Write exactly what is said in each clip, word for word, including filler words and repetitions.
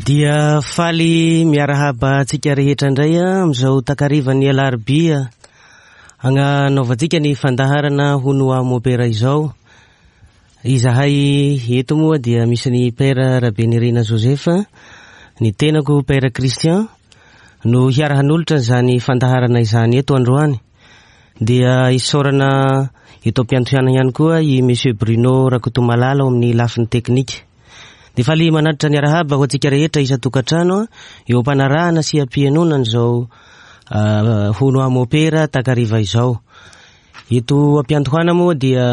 Dia faly miarahaba antsika rehetra indray amin'izao takarivan'ny alarobia agnanaovantsika ny fandaharana hono ho aho mopera izao. Izahay eto moa dia misy ny Père Rabenirina Joseph, ny tenako Père Christian no hiara-hanolotra izany fandaharana izany eto androany. Dia isaorana eto am-piantohana ihany koa i Monsieur Bruno Rakotomalala ao amin'ny lafiny teknika. Dia faly manatitra ny arahaba ho antsika rehetra isan-tokantrano eo am-panarahana sy am-pihainoana an'izao hono aho mopera takariva izao. Eto am-piantohana moa dia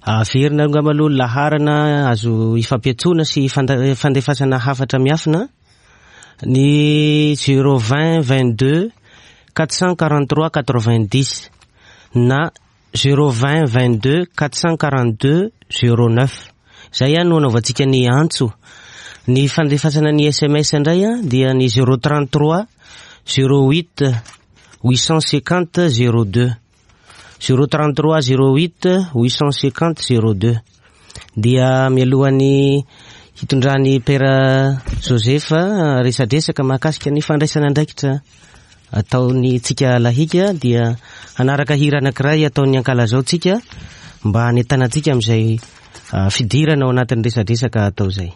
averina angamba aloha laharana azo ifampiantsoana sy fandefasana hafatra miafina ny zéro vingt vingt-deux quatre cent quarante-trois quatre-vingt-dix na zéro vingt vingt-deux quatre cent quarante-deux zéro neuf. Zay ihany no anaovantsika ny antso. Ny fandefasana ny S M S indray a dia ny zéro trente-trois zéro huit huit cent cinquante zéro deux. zéro trente-trois zéro huit huit cent cinquante zéro deux. Dia mialohan'ny hitondran'ny Père Joseph resadresaka mahakasika ny fandraisana andraikitra ataon'ny tsika lahika dia hanaraka hira anankiray ataon'ny ankalazao tsika mba hanentanantsika amin'izay fidirana ao anatin'ny resadresaka atao izay.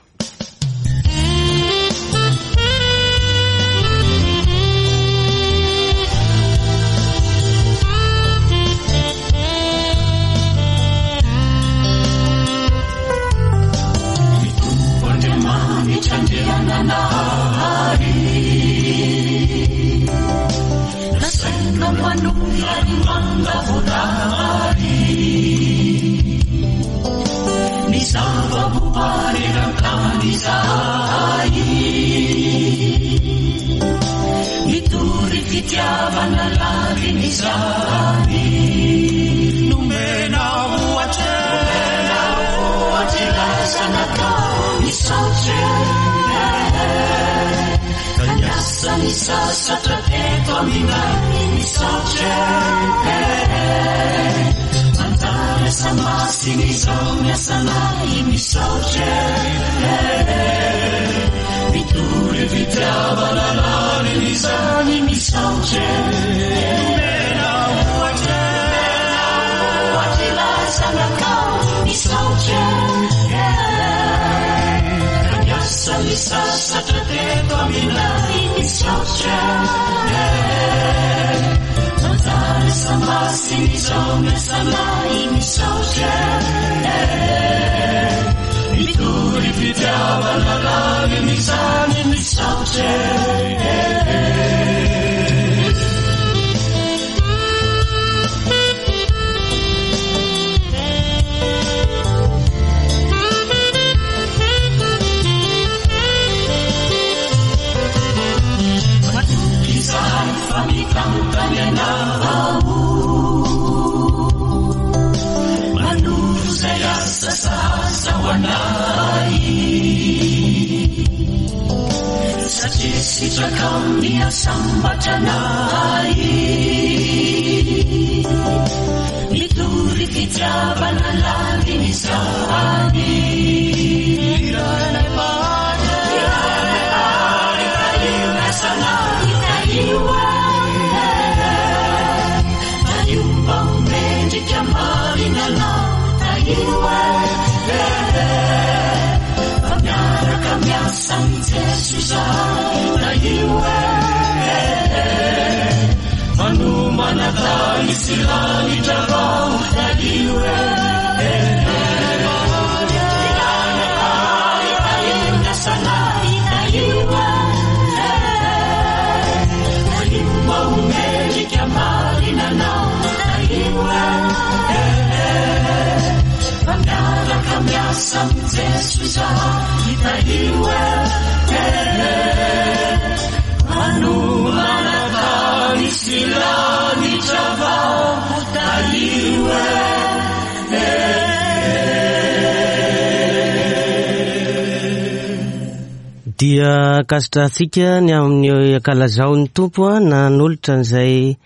Dia ankasitrahantsika ny amin'ny ankalazaon'ny Tompo nanolotra an'izay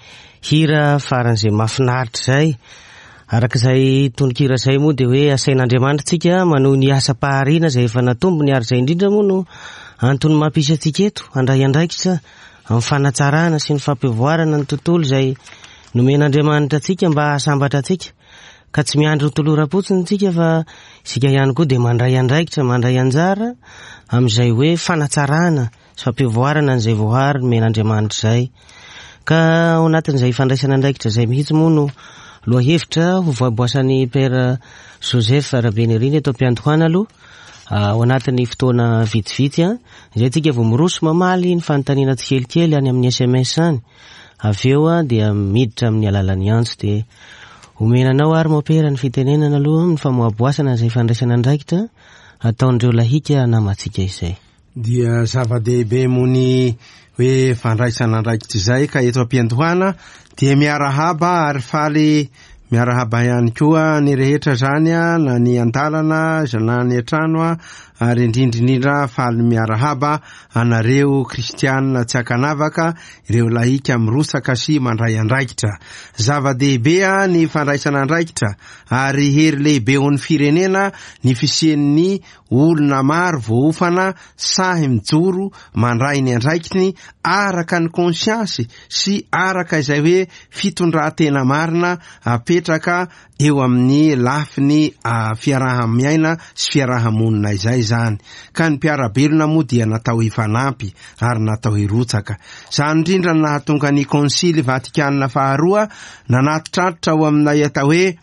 hira faran'izay mahafinaritra izay. Araka izay tononkira izay moa dia hoe asain'Andriamanitra tsika manohy ny asam-pahariana izay efa natombony, ary izay indrindra moa no antony mampisy antsika eto handray andraikitra amin'ny fanatsarana sy ny fampivoarana ny tontolo izay nomen'Andriamanitra antsika mba hahasambatra antsika. Ka tsy miandry ho toloram-potsiny isika fa isika ihany koa dia mandray andraikitra, mandray anjara amin'izay hoe fanatsarana sy fampivoarana an'izay voahary nomen'Andriamanitra izay. Ka ao anatin'izay fandraisana andraikitra izay mihitsy moa no lohahevitra ho voaboasan'ny Père Joseph Rabenirina eto am-piandohana aloha ao anatin'ny fotoana vitsivitsy a, izay tsika vao miroso mamaly ny fanontaniana tsikelikely any amin'ny S M S any. Avy eo a dia miditra amin'ny alalan'ny antso dia omena anao ary mopera ny fitenenana aloha ny famoaboasana izay fandraisana andraikitra ataon'ireo lahika namantsika izay. Dia zava-dehibe moa ny hoe fandraisana andraikitra izay, ka eto am-piandohana dia miarahaba ary faly miarahaba ihany koa ny rehetra zany a, na ny an-dalana na ny an-trano a, ary indrindra indrindra faly miarahaba anareo kristianina tsy ankanavaka, ireo lahika mirotsaka sy mandray andraikitra. Zava-dehibe a ny fandraisana andraikitra ary hery lehibe ho an'ny firenena ny fisian'ny olona maro voaofana sahy mijoro mandray ny andraikiny araka ny konsiansy sy araka izay hoe fitondran-tena marina apetraka eo amin'ny lafiny fiaraha-miaina sy fiaraha-monina izay zany. Ka ny mpiara-belona moa dia natao hifanampy ary natao hirotsaka. Izany indrindra no nahatonga ny Konsily Vatikana faharoa nanatitraritra ao aminay atao hoe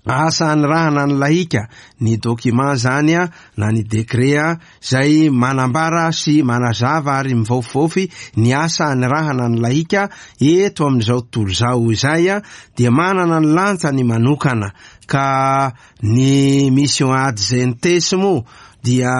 asa anirahana ny lahika, ny document zany a, na ny décret a, izay manambara sy manazava ary mivaofivaofy ny asa anirahana ny lahika eto amin'izao tontolo izao izay a, dia manana ny lanjany manokana. Ka ny mission ad gentes moa dia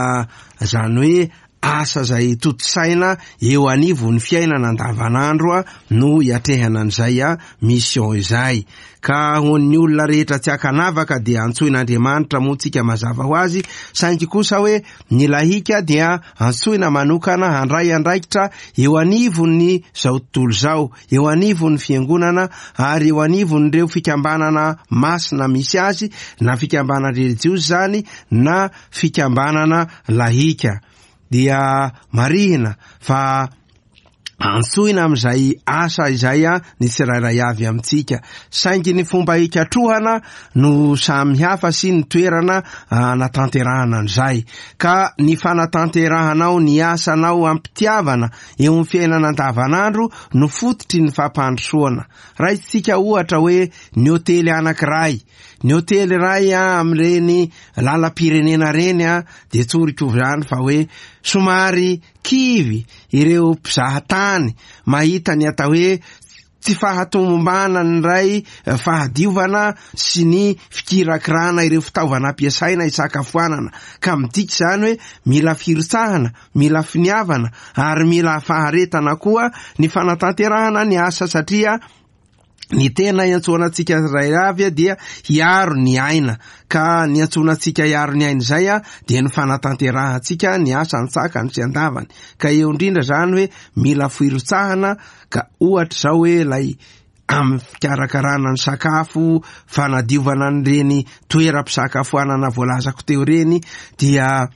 zany hoe asa izay tontosaina eo anivon'ny fiainana andavanandro a, no iatrehana an'izay a mission izay. Ka ho an'ny olona rehetra tsy ankanavaka dia antsoin'Andriamanitra moa tsika mazava ho azy, saingy kosa hoe ny lahika dia antsoina manokana handray andraikitra eo anivon'ny zao tontolo izao, eo anivon'ny fiangonana ary eo anivon'ireo fikambanana masina misy azy, na fikambanana relijiozy zany na fikambanana lahika. Dia marihina fa antsoina amin'izay asa izay a ny tsirairay avy amintsika, saingy ny fomba hikatrohana no samy hafa sy ny toerana anatanterahana an'izay. Ka ny fanatanterahanao ny asanao am-pitiavana eo amin'ny fiainana andavanandro no fototry ny fampandrosoana. Raisitsika ohatra hoe ny hotely anankiray, ny hotely iray a amin'ireny lalam-pirenena reny a, dia tsoriko izany fa hoe somary kivy ireo mpizahatany mahita ny atao hoe tsy fahatomombanan'ny ray fahadiovana sy ny fikirakirana ireo fitaovana ampiasaina hisakafoanana. Ka midika izany hoe mila firotsahana, mila finiavana ary mila faharetana koa ny fanatanterahana ny asa, satria ny tena iantsoana antsika iray avy dia hiaro ny aina. Ka ny iantsoana antsika hiaro ny aina izay a dia ny fanatanterahantsika ny asa an-tsakany sy an-davany. Ka eo indrindra izany hoe mila firotsahana, ka ohatra izao hoe ilay amin'ny fikarakarana ny sakafo, fanadiovana an'ireny toeram-pisakafoanana voalazako teo ireny, dia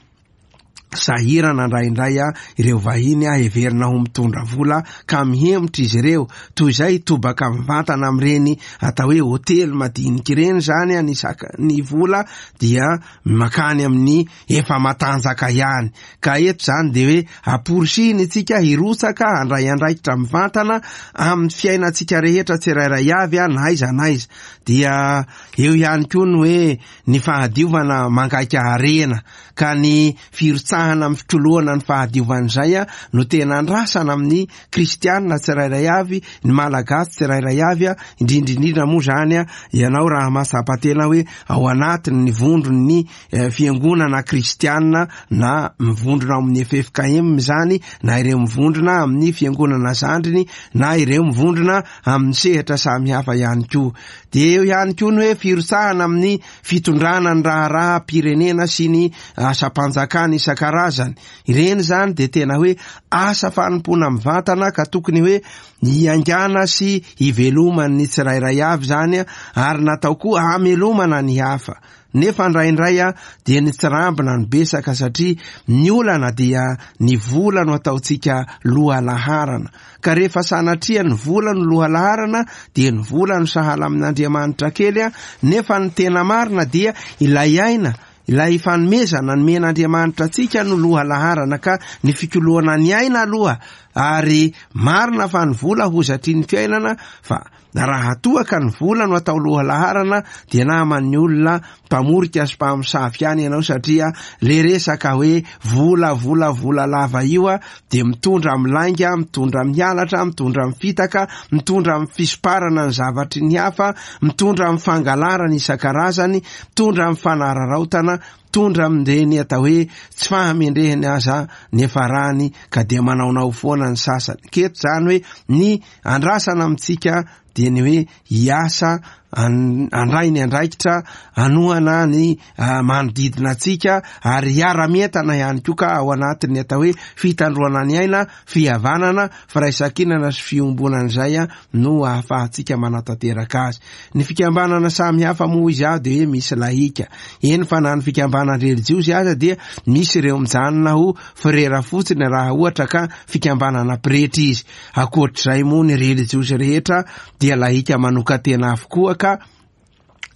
sahirana indraindray a ireo vahiny a heverina ho mitondra vola ka mihemotra izy ireo, toy izay tobaka mivantana amin'ireny atao hoe hotely madinika ireny zany a, ny saka-, ny vola dia makany amin'ny efa matanjaka ihany. Ka eto zany dia hoe amporisihina isika hirotsaka handray andraikitra mivantana amin'ny fiainantsika rehetra tsirairay avy a, na aiza na aiza. Dia eo ihany koa ny hoe ny fahadiovana mangaika harena, ka ny firotsahana amin'ny fitroloana ny fahadiovan'izay a no tena andrasana amin'ny kristianina tsirairay avy, ny malagasy tsirairay avy a, indrindra indrindra moa zany a ianao raha mahatsapa tena hoe ao anatin'ny vondron'ny, eh, fiangonana kristianina, na mivondrona ao amin'ny F F K M zany, na ireo mivondrona amin'ny fiangonana zandriny, na ireo mivondrona amin'ny sehatra samihafa ihany koa. Dia eo ihany koa ny hoe firotsahana amin'ny fitondrana ny raharaham-pirenena sy ny asam-panjakana isan-karazany. Ireny zany dia tena hoe asa fanompoana mivantana ka tokony hoe hiaingàna sy hiveloman'ny tsirairay avy zany, ary natao koa hamelomana ny hafa. Nefa indraindray a dia ny tsirambina no besaka, satria ny olana dia ny vola no ataontsika lohalaharana. Ka rehefa sanatria ny vola no lohalaharana dia ny vola no sahala amin'Andriamanitra kely a, nefa ny tena marina dia ilay aina, ilay fanomezana nomen'Andriamanitra antsika no lohalaharana, ka ny fikoloana ny aina aloha. Ary marina fa ny vola hozatry ny fiainana, fa raha toa ka ny vola no atao lohalaharana dia naman'ny olona mpamorika sy mpamosavy ihany ianao, satria le resaka hoe vola vola vola lava io a dia mitondra amin'ny lainga, mitondra amin'ny halatra, mitondra amin'ny fitaka, mitondra amin'ny fisomparana ny zavatry ny hafa, mitondra amin'ny fangalarana isan-karazany, mitondra amin'ny fanararaotana, mitondra amin'ireny atao hoe tsy fahamendrehany aza nefa rany, ka dia manaonao foana ny sasany. Keto zany hoe ny andrasana amintsika dia ny hoe hiasa, handray ny andraikitra, hanohana ny manodidina antsika, ary hiara-mientana ihany koa ka ao anatin'ny atao hoe fitandroana ny aina, fihavanana, firaisankinana sy fiombonana izay no ahafahantsika manatanteraka azy. Ny fikambanana samy hafa moa izy aho dia hoe misy lahika, eny fa na ny fikambanana relijiozy aza dia misy ireo mijanona ho frera fotsiny raha ohatra ka fikambanana pretra izy. Ankoatr'izay moa ny relijiozy rehetra dia lahika manokan-tena avokoa, ka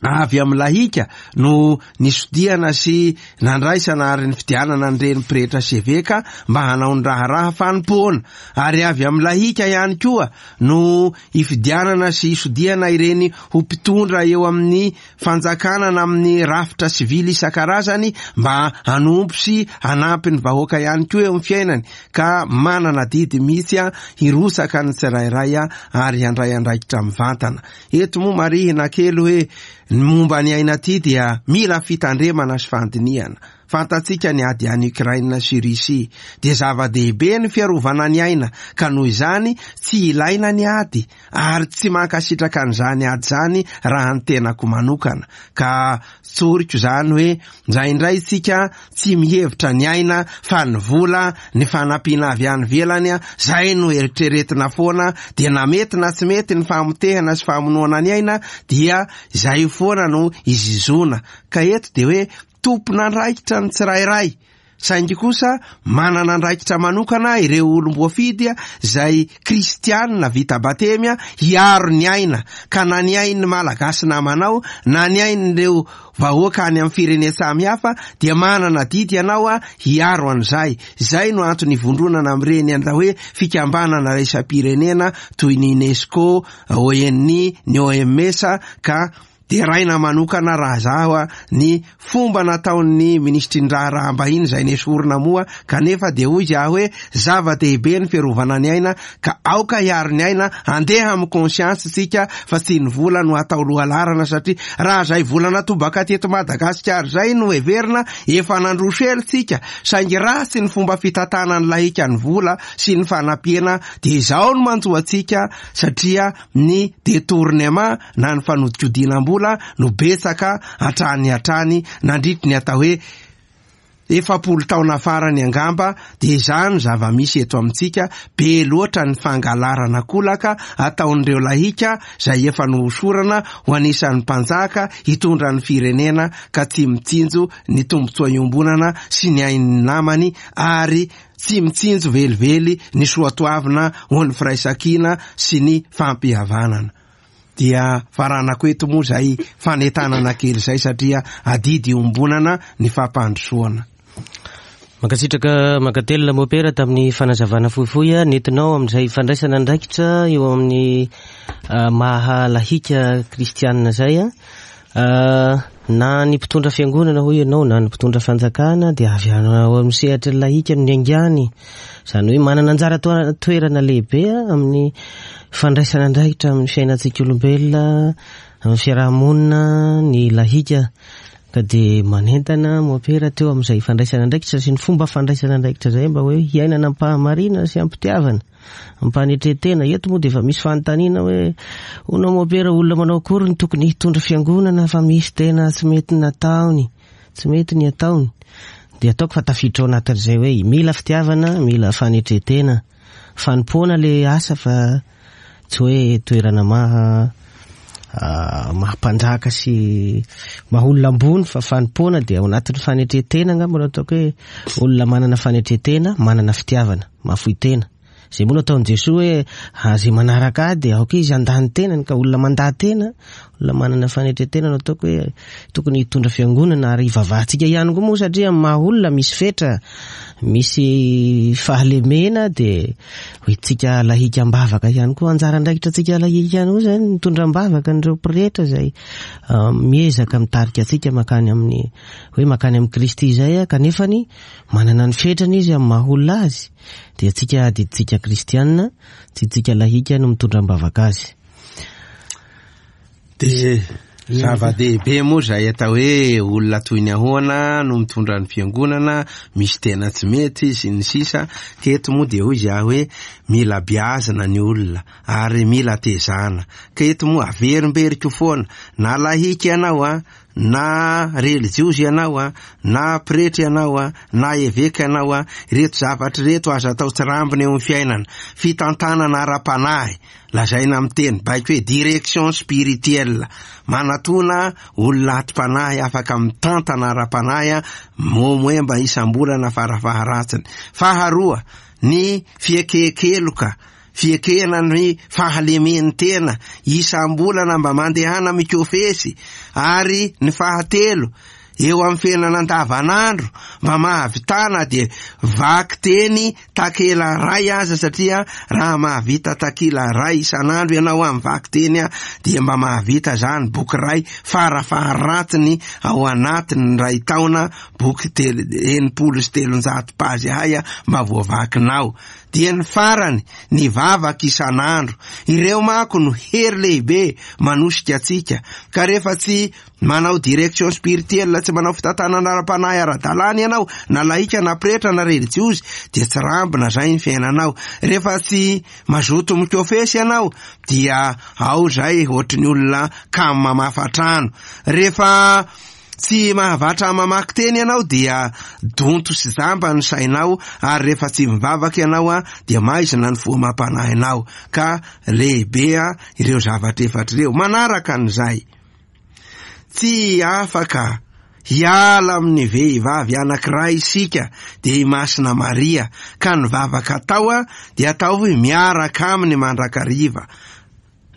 avy amin'ny lahika no nisodiana sy nandraisana ary ny fidianana an'ireny pretra sy eveka mba hanao ny raharaha fanompoana. Ary avy amin'ny lahika ihany koa no ifidianana sy isodiana ireny ho mpitondra eo amin'ny fanjakana na amin'ny rafitra sivily isan-karazany mba hanompo sy hanampy ny vahoaka ihany koa eo amin'ny fiainany, ka manana adidy mihitsy a hirotsaka ny tsirairay a ary handray andraikitra mivantana. Eto moa marihina kely hoe ny momba ny aina ty dia mila fitandremana sy fandinihana. Fantatsika ny ady any Ukraine sy Russie, dia zava-dehibe ny fiarovana ny aina, ka noho izany tsy ilaina ny ady, ary tsy mankasitraka an'izany ady zany raha ny tenako manokana. Ka tsoriko zany hoe indraindray tsika tsy mihevitra ny aina fa ny vola, ny fanampiana avy any ivelany, zay no eritreretina foana, dia na mety na tsy mety ny famotehana sy famonoana ny aina dia zay foana no izizona. Ka eto dia hoe tompon'andraikitra ny tsirairay, saingy kosa manana andraikitra manokana ireo olom-boafidy zay kristianina vita batemy hiaro ny aina, ka na ny ain'ny Malagasy namanao na ny ain'ireo vahoaka any amin'ny firenena samihafa dia manana adidy ianao a hiaro an'izay. Zay no antony ivondronana amin'ireny atao hoe fikambanana iraisam-pirenena toy ny UNESCO, O N I, ny O M S, ka deraina manokana raha zaho a ny fomba nataon'ny minisitry ny raharaham-bahiny izay nesorina moa, kanefa dia hoy izy aho hoe zava-dehibe ny fiarovana ny aina, ka aoka hiaro ny aina, andeha amin'ny conscience tsika fa tsy ny vola no atao lohalaharana, satria raha zay vola natobaka teto Madagasikara zay no heverina efa nandroso ela tsika, saingy ratsy ny fomba fitantanana ny lahika ny vola sy ny fanampiana, dia izao no manjo antsika, satria ny détournement na ny fanodikodinam-bola no betsaka hatrany hatrany nandritry ny atao hoe efapolo taona farany angamba. Dia izany zava-misy eto amintsika, be loatra ny fangalarana kolaka ataon'ireo lahika izay efa nohosorana ho anisan'ny mpanjaka hitondra ny firenena, ka tsy mitsinjo ny tombontsoa iombonana sy ny ain'ny namany, ary tsy mitsinjo velively ny soatoavina ho ny firaisankina sy ny fampihavanana. Dia faranako eto moa zay fanentanana kely zay, satria adidy iombonana ny fampandrosoana. Mankasitraka mankatelina Mopera tamin'ny fanazavana fohifohy a nentinao amin'izay fandraisana andraikitra eo amin'ny maha lahika kristianina zay a. Na ny mpitondra fiangonana hoy ianao na ny mpitondra fanjakana dia avy ao amin'ny sehatry ny lahika no niaingany, izany hoe manana anjara toerana lehibe amin'ny fandraisana andraikitra amin'ny fiainantsika olombelona, amin'ny fiarahamonina ny lahika. Ka dia manentana Mopera teo amin'izay fandraisana andraikitra sy ny fomba fandraisana andraikitra izay mba hoe hiainana am-pahamarina sy am-pitiavana, am-panetren-tena. Eto moa dia efa misy fanontaniana hoe hono Mopera, olona manao akory ny tokony hitondra fiangonana fa misy tena tsy mety nataony, tsy mety ny ataony. Dia ataoko fa tafiditra ao anatin'izay hoe mila fitiavana, mila fanetren-tena, fanompoana le asa fa tsy hoe toerana maha maha mpanjaka sy maha olona ambony, fa fanompoana dia ao anatin'ny fanetren-tena angamba no ataoko hoe olona manana fanetren-tena, manana fitiavana, mahafoy tena. Zay moa no ataon'i Jesoa hoe izay manaraka ahy dia aoka izy handà ny tenany, ka olona mandà tena, olona manana fanetren-tena no ataoko hoe tokony hitondra fiangonana, ary hivavahantsika ihany koa moa satria amin'ny maha olona misy fetra, misy fahalemena, dia hoentintsika lahika am-bavaka ihany koa. Anjara andraikitra antsika lahika ihany koa zany mitondra am-bavaka an'ireo pretra izay miezaka mitarika antsika mankany amin'ny hoe mankany amin'i Kristy izay, kanefany manana ny fetrany izy amin'ny maha olona azy. Dia antsika adidintsika kristianina, tsy tsika lahika no mitondra am-bavaka azy. Dia zava-dehibe moa izay atao hoe olona toy ny ahoana no mitondra ny fiangonana, misy tena tsy mety sy ny sisa. Teto moa dia hoy izaho hoe mila biazina ny olona ary mila tezana. Ka eto moa averimberiko foana, na lahika ianao a, na relijiozy ianao a, na pretra ianao a, na eveka ianao a, ireto zavatra ireto aza atao tsirambina eo amin'ny fiainana. Fitantanana ara-panahy, lazaina amin'ny teny baiko hoe direction spirituelle, manatona olona atim-panahy afaka mitantana ara-panahy a, momoemba isam-bolana farafaharatsiny. Faharoa, ny fiekekeloka, fiekena ny fahalemen'ny tena isam-bolana mba mandehana mikofesy. Ary ny fahatelo, eo amin'ny fiainana andavanandro mba mahavitana dia vaky teny takela ray aza, satria raha mahavita takila ray isan'andro ianao amin'ny vaky teny a, dia mba mahavita zany boky ray farafaharatsiny ao anatin'ny ray taona, boky telo, enimpolo sy telonjato pazy hay a, mba voavakinao. Dia ny farany, ny vavaka isan'andro. Ireo manko no hery lehibe manosika antsika, ka rehefa tsy manao direction spirituelle, tsy manao fitantanana ara-panahy ara-dalàna ianao, na lahika na pretra na relijiozy, dia tsy rambina zay ny fiainanao. Rehefa tsy mazoto mikofesy ianao, dia ao zay ohatry ny olona kamo mamafa trano. Rehefa tsy mahavatra mamaky teny ianao, dia donto sy jamba ny sainao, ary rehefa tsy mivavaka ianao a, dia maizina ny fo mampanahinao. Ka lehibe a ireo zavatra efatra ireo. Manaraka an'izay, tsy afaka hiala amin'ny vehivavy anankiray isika, dia i Masina Maria, ka ny vavaka atao a dia atao hoe miaraka aminy mandrakariva.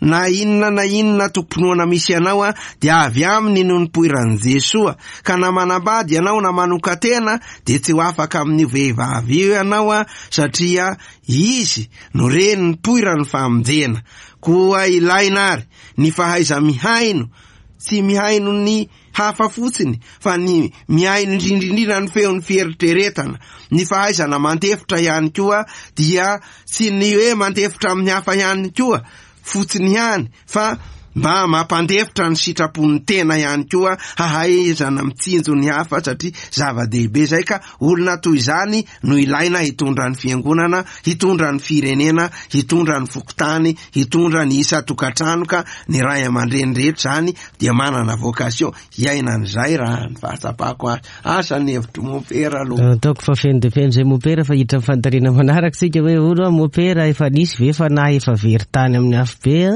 Na inona na inona tompinoana misy ianao a, dia avy aminy no nipoiran'i Jesoa. Ka na manambady ianao na manokan-tena, dia tsy ho afaka amin'io vehivavy io ianao a, satria izy no reny nipoiran'ny famonjena. Koa ilaina ary ny fahaiza-mihaino, tsy mihaino ny hafa fotsiny, fa ny mihaino indrindrindrindra ny feon'ny fieritreretana. Ny fahaizana mandefitra ihany koa, dia tsy ny hoe mandefitra amin'ny hafa ihany koa fotsiny ihany, fa mba mampandefitra ny sitrapon'ny tena ihany koa, hahaizana mitsinjo ny hafa, satria zava-dehibe zay. Ka olona toy izany no ilaina hitondra ny fiangonana, hitondra ny firenena, hitondra ny fokontany, hitondra ny isan-tokantrano. Ka ny ray aman-dreny rehetra zany dia manana vocation hiaina an'izay, raha ny fahatsapako azy. Asa ny hevitry mompera aloha. Ataoko fa feno dia feno izay mompera, fa hiditra amin'ny fanontaniana manaraka isika hoe olo a, mompera efa nisy ve fanahy efa very tany amin'ny afobe a,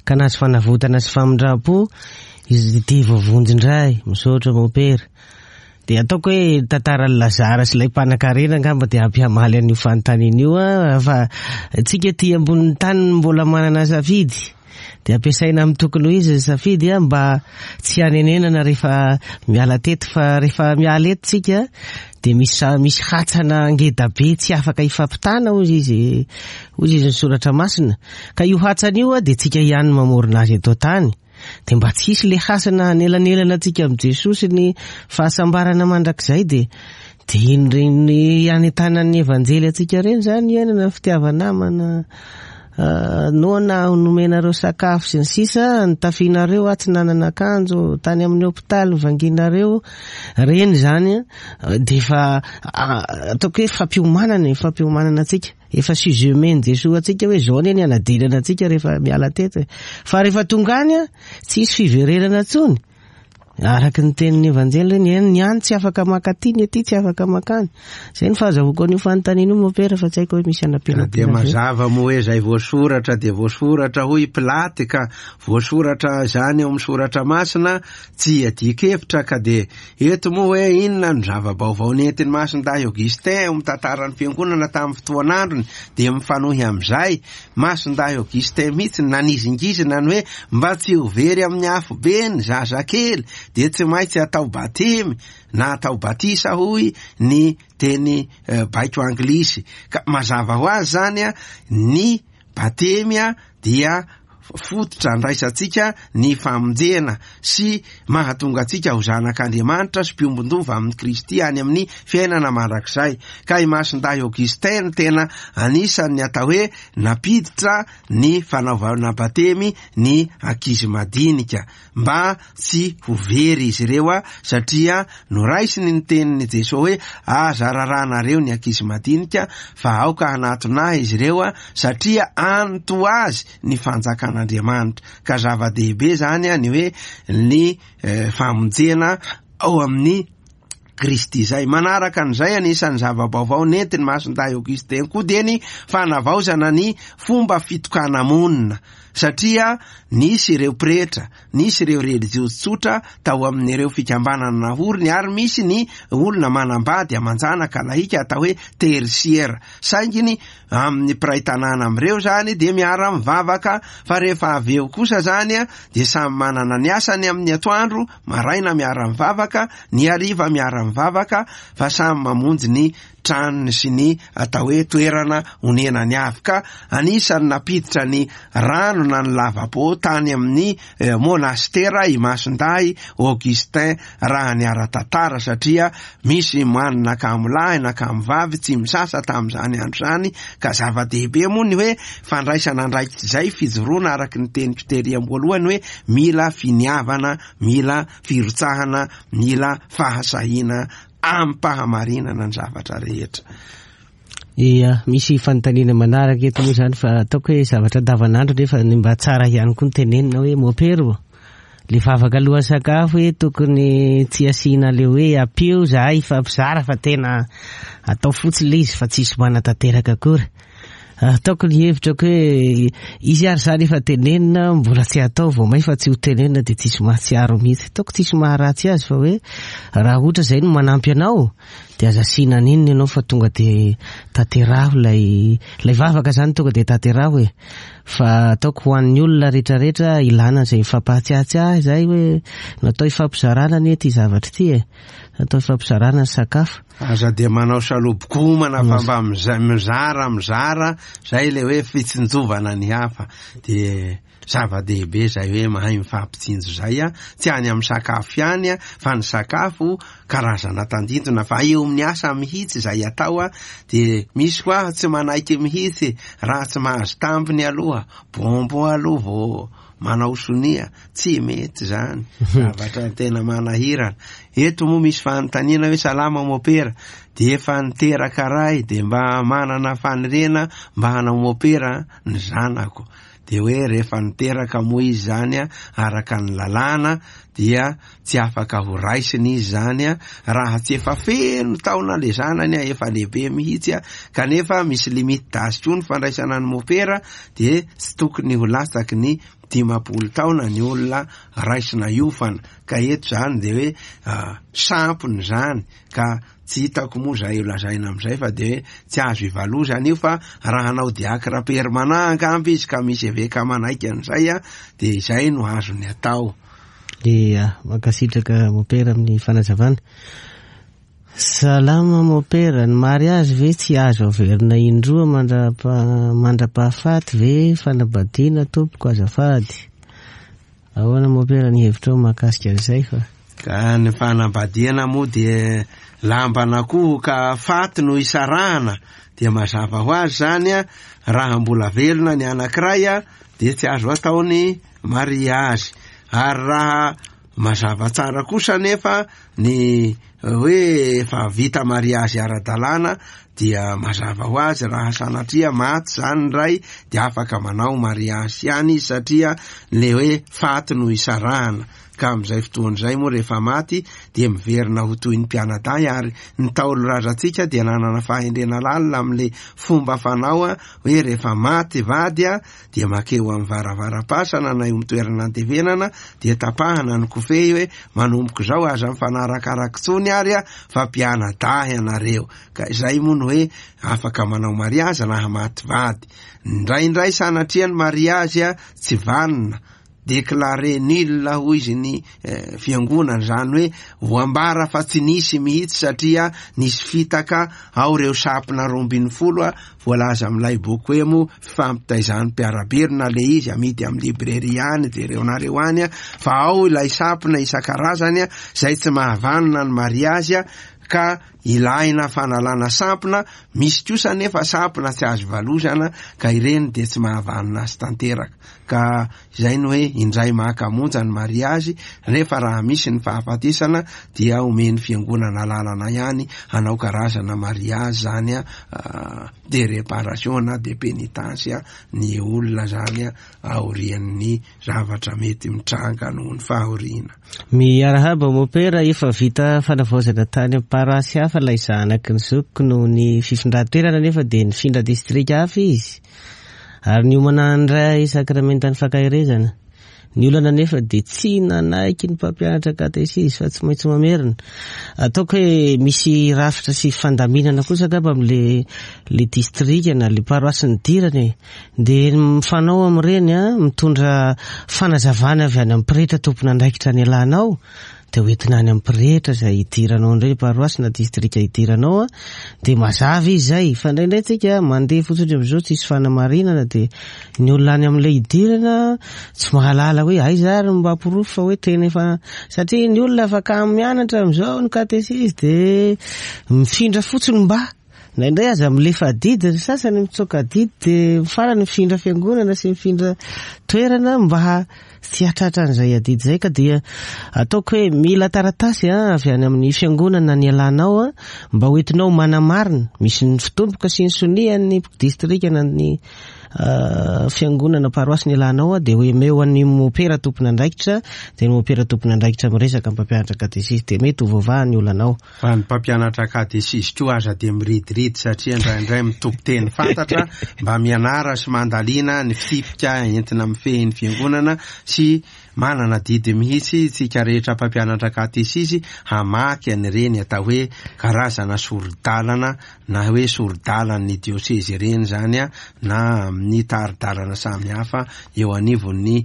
ka nahazo fanavotana sy famindram-po izy ity voavonjy indray? Misaotra mompera. Dia ataoko hoe tantaran'i Lazara sy ilay mpanankarena angamba dia ampihamaly an'io fanontaniana io a, fa tsika ty ambonin'ny tany mbola manana safidy, dia ampiasaina amin'ny tokony ho izy ny safidy a, mba tsy hanenenana rehefa miala teto. Fa rehefa miala eto tsika dia misy, misy hatsana ngeda be tsy afaka hifampitana, hoy izy, hoy izy ny soratra masina. Ka io hatsana io a, dia tsika ihany mamorona azy eto an-tany. Dia mba tsy hisy le hasana hanelanelana antsika amin'i Jesoa sy ny fahasambarana mandrakizay, dia dia iny reny anentanan'ny evanjely antsika reny zany, iainana fitiava-namana, noana nomenareo sakafo sy ny sisa, nitafianareo aho tsy nanana akanjo, tany amin'ny hopitaly nivangianareo, reny zany a, dia efa ataoko hoe fampiomanana e, fampiomanana antsika. Efa sujet omen'i Jesoa antsika hoe zao anie ny hanadinana antsika rehefa miala teto e. Fa rehefa tonga any a, tsy hisy fiverenana intsony. Araka ny tenin'ny Evanjely ny ny any tsy afaka makaty, ny aty tsy afaka makany. Zay ny fahazahoako an'io fanontaniana io mopera, fa tsy haiko hoe misy anampiana. Dia mazava moa hoe zay voasoratra dia voasoratra hoy Pilaty, ka voasoratra zany eo amin'ny soratra masina tsy iadian-kevitra. Ka dia eto moa hoe inona no zava-baovao nentin'i Masindahy Augustin eo amin'ny tantaran'ny fiangonana tamin'ny fotoan'androny, dia mifanohy amin'izay Masindahy Augustin mihitsy nanizingizina ny hoe mba tsy ho very amin'ny afobe ny zazakely dia tsy maintsy atao batemy na atao batisa hoy ny teny baiko anglisy. Ka mazava ho azy zany a, ny batemy a dia fototra andraisantsika ny famonjena sy mahatonga antsika ho zanak'Andriamanitra sy mpiombon-dova amin'i Kristy any amin'ny fiainana mandrakizay. Ka i Masindahy Augustin tena anisan'ny atao hoe nampiditra ny fanaovana batemy ny ankizy madinika mba tsy ho very izy ireo a, satria noraisiny ny tenin'i Jesoa hoe aza raranareo ny ankizy madinika fa aoka hanatona ahy izy ireo a, satria any toa azy ny fanjakan'Andriamanitra. Ka zava-dehibe zany a ny hoe ny famonjena ao amin'ny Kristy zay. Manaraka an'izay, anisan'ny zava-baovao nentiny Masindahy Augustin koa dia ny fanavaozana ny fomba fitokana-monina, satria nisy ireo pretra, nisy ireo relijiozy tsotra tao amin'ireo fikambanana nahoriny, ary misy ny olona manambady aman-janaka lahika atao hoe tertiaire. Saingy ny amin'ny mpiray tanàna amin'ireo zany dia miara-mivavaka, fa rehefa avy eo kosa zany a dia samy manana ny asany amin'ny atoandro, maraina miara-mivavaka, ny hariva miara-mivavaka, fa samy mamonjy ny tranony sy ny atao hoe toerana onenany avy. Ka anisan'ny nampiditra ny rano na ny lavapo tany amin'ny monastera i Masindahy Augustin raha ny ara-tantara, satria misy moanina kamo lahy na kamo vavy tsy misasa tamin'izany andro izany. Ka zava-dehibe moa ny hoe fandraisana andraikitra izay, fijoroana araka ny teniko tery am-boalohany hoe mila finiavana, mila firotsahana, mila fahasahiana am-pahamarinana ny zavatra rehetra. Ia, misy fanontaniana manaraka eto moa zany, fa ataoko hoe zavatra andavanandro nefa ny mba tsara ihany koa ny tenenina hoe mopero le vavaka alohan'ny sakafo hoe tokony tsy asiana le hoe ampio zahay fa mpizara fa tena atao fotsiny le izy fa tsisy manatanteraka akory. Ataoko ny hevitrako hoe izy ary zany efa tenenina mbola tsy atao vao may fa tsy ho tenenina dia tsisy mahatsiaro mihitsy. Ataoko tsisy maharatsy azy fa hoe raha ohatra zay no manampy anao dia aza asiana an'inona ianao fa tonga dia tanteraho ilay ilay vavaka zany, tonga dia tanteraho e. Fa ataoko ho an'ny olona rehetrarehetra ilana izay mifampahatsiahitsiahy zay hoe natao hifampizarana anie ity zavatra ity e, natao hifampizarana ny sakafo. Aza dia manao salobokomana fa mba mizara mizara zay le hoe fitsinjovana ny hafa. Dia zava-dehibe zay hoe mahay mifampitsinjo zay a, tsy any amin'ny sakafo ihany a, fa ny sakafo karazana tandindona fa eo amin'ny asa mihitsy zay atao a. Dia misy koa tsy manaiky mihitsy raha tsy mahazo tambiny aloha, bonbon aloha vao manao sonia, tsy mety zany. Zavatra tena manahirana. Eto moa misy fanontaniana hoe salama mopera, dia efa niteraka ray dia mba manana faniriana mba hanao mopera ny zanako. Dia hoe rehefa niteraka moa izy zany a, araka ny lalàna dia tsy afaka ho raisina izy zany a, raha tsy efa feno taona le zanany a, efa lehibe mihitsy a, kanefa misy limite d'âge koa ny fandraisana ny mopera, dia tsy tokony ho latsaky ny dimampolo taona ny olona raisina iofana. Ka eto zany dia hoe sampony zany, ka tsy hitako moa zay lazaina amin'izay fa dia hoe tsy azo ivalozana io, fa raha hanao diakra permanent angamba izy ka misy eveka manaiky an'izay a, dia izay no azony atao. Ia, mankasitraka mopera amin'ny fanazavana. Salama mopera, ny mariazy ve tsy azo averina indroa mandra-pahafaty ve fanambadiana tompoko azafady? Ahoana mopera ny hevitrao mahakasika an'izay fa? Ka ny fanambadiana moa dia lambana koa ka faty no isarahana, dia mazava ho azy zany a, raha mbola velona ny anankiray a dia tsy azo atao ny mariazy. Ary raha mazava tsara kosa nefa Ny hoe efa vita mariazy ara-dalàna dia mazava ho azy, raha sanatria maty zany ny ray dia afaka manao mariazy ihany izy, satria le hoe faty no isarahana. Ka amin'izay fotoana izay moa rehefa maty dia miverina ho toy ny mpianadahy. Ary ny ntaolo razantsika dia nanana fahendrena lalina amin'le fomba fanao a, hoe rehefa maty vady a dia makeo amin'ny varavaram-pasana na eo amin'ny toerana andevenana, dia tapahana ny kofehy hoe manomboka izao aza mifanarakaraka intsony ary a fa mpianadahy ianareo. Ka izay moa no hoe afaka manao mariazy raha maty vady. Indraindray sanatria ny mariazy a tsy vanona, déclaré nul hoy izy ny eh, fiangonana, zany hoe voambara fa tsy nisy mihitsy, satria nisy fitaka ao ireo sampona roa ambin'ny folo a voalaza amin'ilay boky hoe moa fifampitaizan'ny mpiara-belona le izy, amidy amin'ny librairie any, jereonareo any a, fa ao ilay sampona isan-karazany a zay tsy mahavanona ny mariazy a, ka ilaina fanalana sampona. Misy kosa nefa sampona tsy azo valozana, ka ireny dia tsy mahavanona azy tanteraka. Ka izay no hoe indray maka monja ny mariazy, rehefa raha misy ny fahafatesana dia omeny fiangonana lalana ihany hanao karazana mariazy zany a, de réparation na de pénitence ny olona zany a aorian'ny zavatra mety mitranga noho ny fahoriana. Miarahaba mopera, efa vita fanavaozana tany amin'ny paroasy hafa ilay zanaky ny zokiko noho ny fifindran-toerana, nefa dia nifindra distrika hafa izy ary niomana handray sakramentan'ny fankaherezana. Ny olana nefa dia tsy nanaiky ny mpampianatra katesizy fa tsy maintsy mamerina. Ataoko hoe misy rafitra sy fandaminana kosa angamba amin'le le distrika na le paroasy nidirana e. Dia mifanao amin'ireny a, mitondra fanazavana avy any amin'ny pretra tompon'andraikitra ny alanao, dia hoentina any amin'ny pretra izay hidiranao indray paroasy na distrika hidiranao a, dia mazava izy zay. Fa indraindray tsika mandeha fotsiny amin'izao tsisy fanamarinana, dia ny olona any amin'ilay hidirana tsy mahalala hoe aiza ary mba porofo fa hoe tena efa, satria ny olona afaka mianatra amin'izao ny katesizy dia mifindra fotsiny mba indraindray aza milefa adidy ny sasany, mitsoaka adidy dia farany mifindra fiangonana sy mifindra toerana mba tsy hatratra an'izay adidy izay. Ka dia ataoko hoe mila taratasy a avy any amin'ny fiangonana ny alanao a mba hoentinao manamarina, misy ny fitomboka sy ny sonian'ny distrika na ny fiangonana paroasy ny alanao a, dia hoe meo an'ny mopera tompon'andraikitra, dia ny mopera tompon'andraikitra miresaka amin'ny mpampianatra katesizy, dia mety ho voavaha ny olanao. Fa ny mpampianatra katesizy koa aza dia miridiridi, satria indraindray mitompo teny fantatra, mba mianara sy mandalina ny fitsipika entina mifehy ny fiangonana, sy manana didy mihitsy tsika rehetra mpampianatra katesizy hamaky an'ireny atao hoe karazana sori-dalana na hoe sori-dalan'ny diosezy ireny zany a, na amin'ny tari-dalana samihafa eo anivon'ny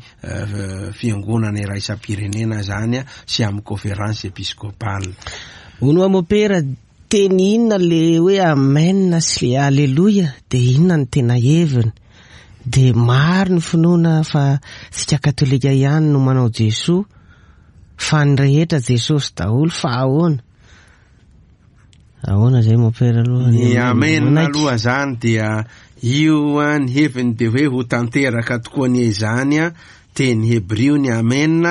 fiangonana iraisam-pirenena zany a, sy amin'ny conférence épiscopale. Ono mopera, teny inona le hoe amen sy le aleloia, dia inona ny tena heviny? Dia maro ny finoana fa tsika katolika ihany no manao Jesoa, fa ny rehetra Jesosy daholo, fa ahoana? Ahoana zay mopera aloha? Ny amen aloha zany dia io a, ny heviny dia hoe ho tanteraka tokoa ny izany a, teny hebrio ny amen,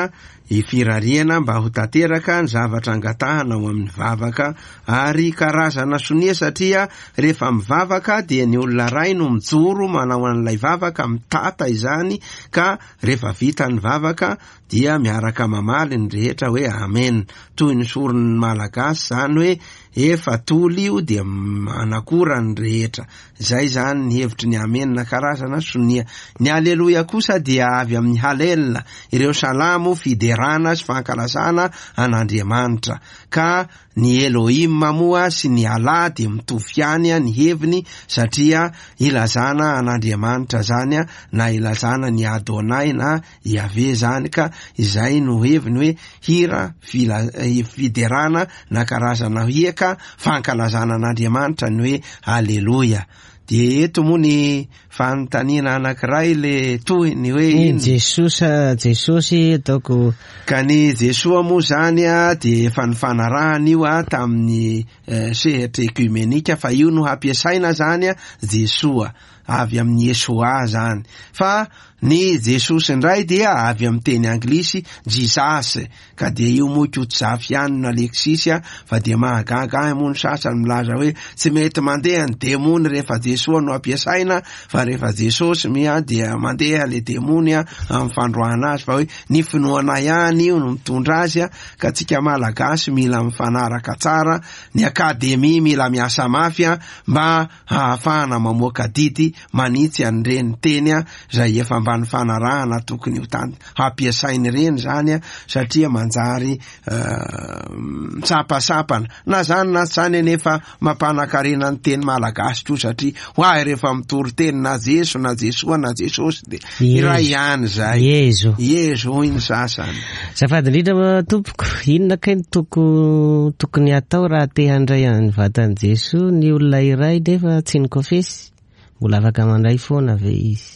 ifirariana mba ho tanteraka ny zavatra angatahana ao amin'ny vavaka. Ary karazana sonia, satria rehefa mivavaka dia ny olona ray no mijoro manao an'ilay vavaka, mitata izany, ka rehefa vita ny vavaka dia miaraka mamaly ny rehetra hoe amen. Toy ny soron'ny malagasy zany hoe efa toly io dia manakora ny rehetra. Zay zany ny hevitry ny amen, karazana sonia. Ny aleloia kosa dia avy amin'ny halel, ireo salamo fiderana sy fankalazana an'Andriamanitra. Ka ny Elohim moa sy ny Allah dia mitovy ihany ny heviny, satria ilazana an'Andriamanitra zany na ilazana ny Adonai na Yahvé zany. Ka izay no heviny hoe hira fila-, fiderana na karazana hiaka fankalazana an'Andriamanitra ny hoe aleloia. Dia eto moa ny fanontaniana anankiray le tohiny hoe Ny Jesosa, Jesosy ataoko. Ka ny Jesoa moa zany a dia efa nifanarahana io a tamin'ny eh, sehatra ekumenika fa io no hampiasaina zany a, Jesoa avy amin'ny Yesoa zany. Fa ny Jesosy indray dia avy amin'ny teny anglisy Jesus, ka dia io moa Kotzafy ihany no Alexis a, fa dia mahagaga ahy moa ny sasany milaza hoe tsy mety mandeha ny demony rehefa Jesoa no ampiasaina, fa rehefa Jesosy mia dia mandeha le demony a amin'ny fandroahana azy, fa hoe ny finoana ihany io no mitondra azy a. Ka tsika Malagasy mila mifanaraka tsara, ny akademia mila miasa mafy a mba hahafahana mamoaka didy manitsy an'ireny teny a zay efa mba nifanarahana tokony ho tan-, hampiasainy ireny zany a, satria manjary, eh, mitsapasampana. Na zany na tsy zany anefa mampanan-karena ny teny malagasy koa, satria ho ahy rehefa mitory teny na Jeso na Jesoa na Jesosy dia Yezo. iray ihany zay. Yezo. Yezo hoy ny sasany. Azafady indrindra tompoko, inona kay ny toko-, tokony atao raha te handray ny vatan'i Jesoa ny olona iray nefa tsy nikofesy? Mbola afaka mandray foana ve izy?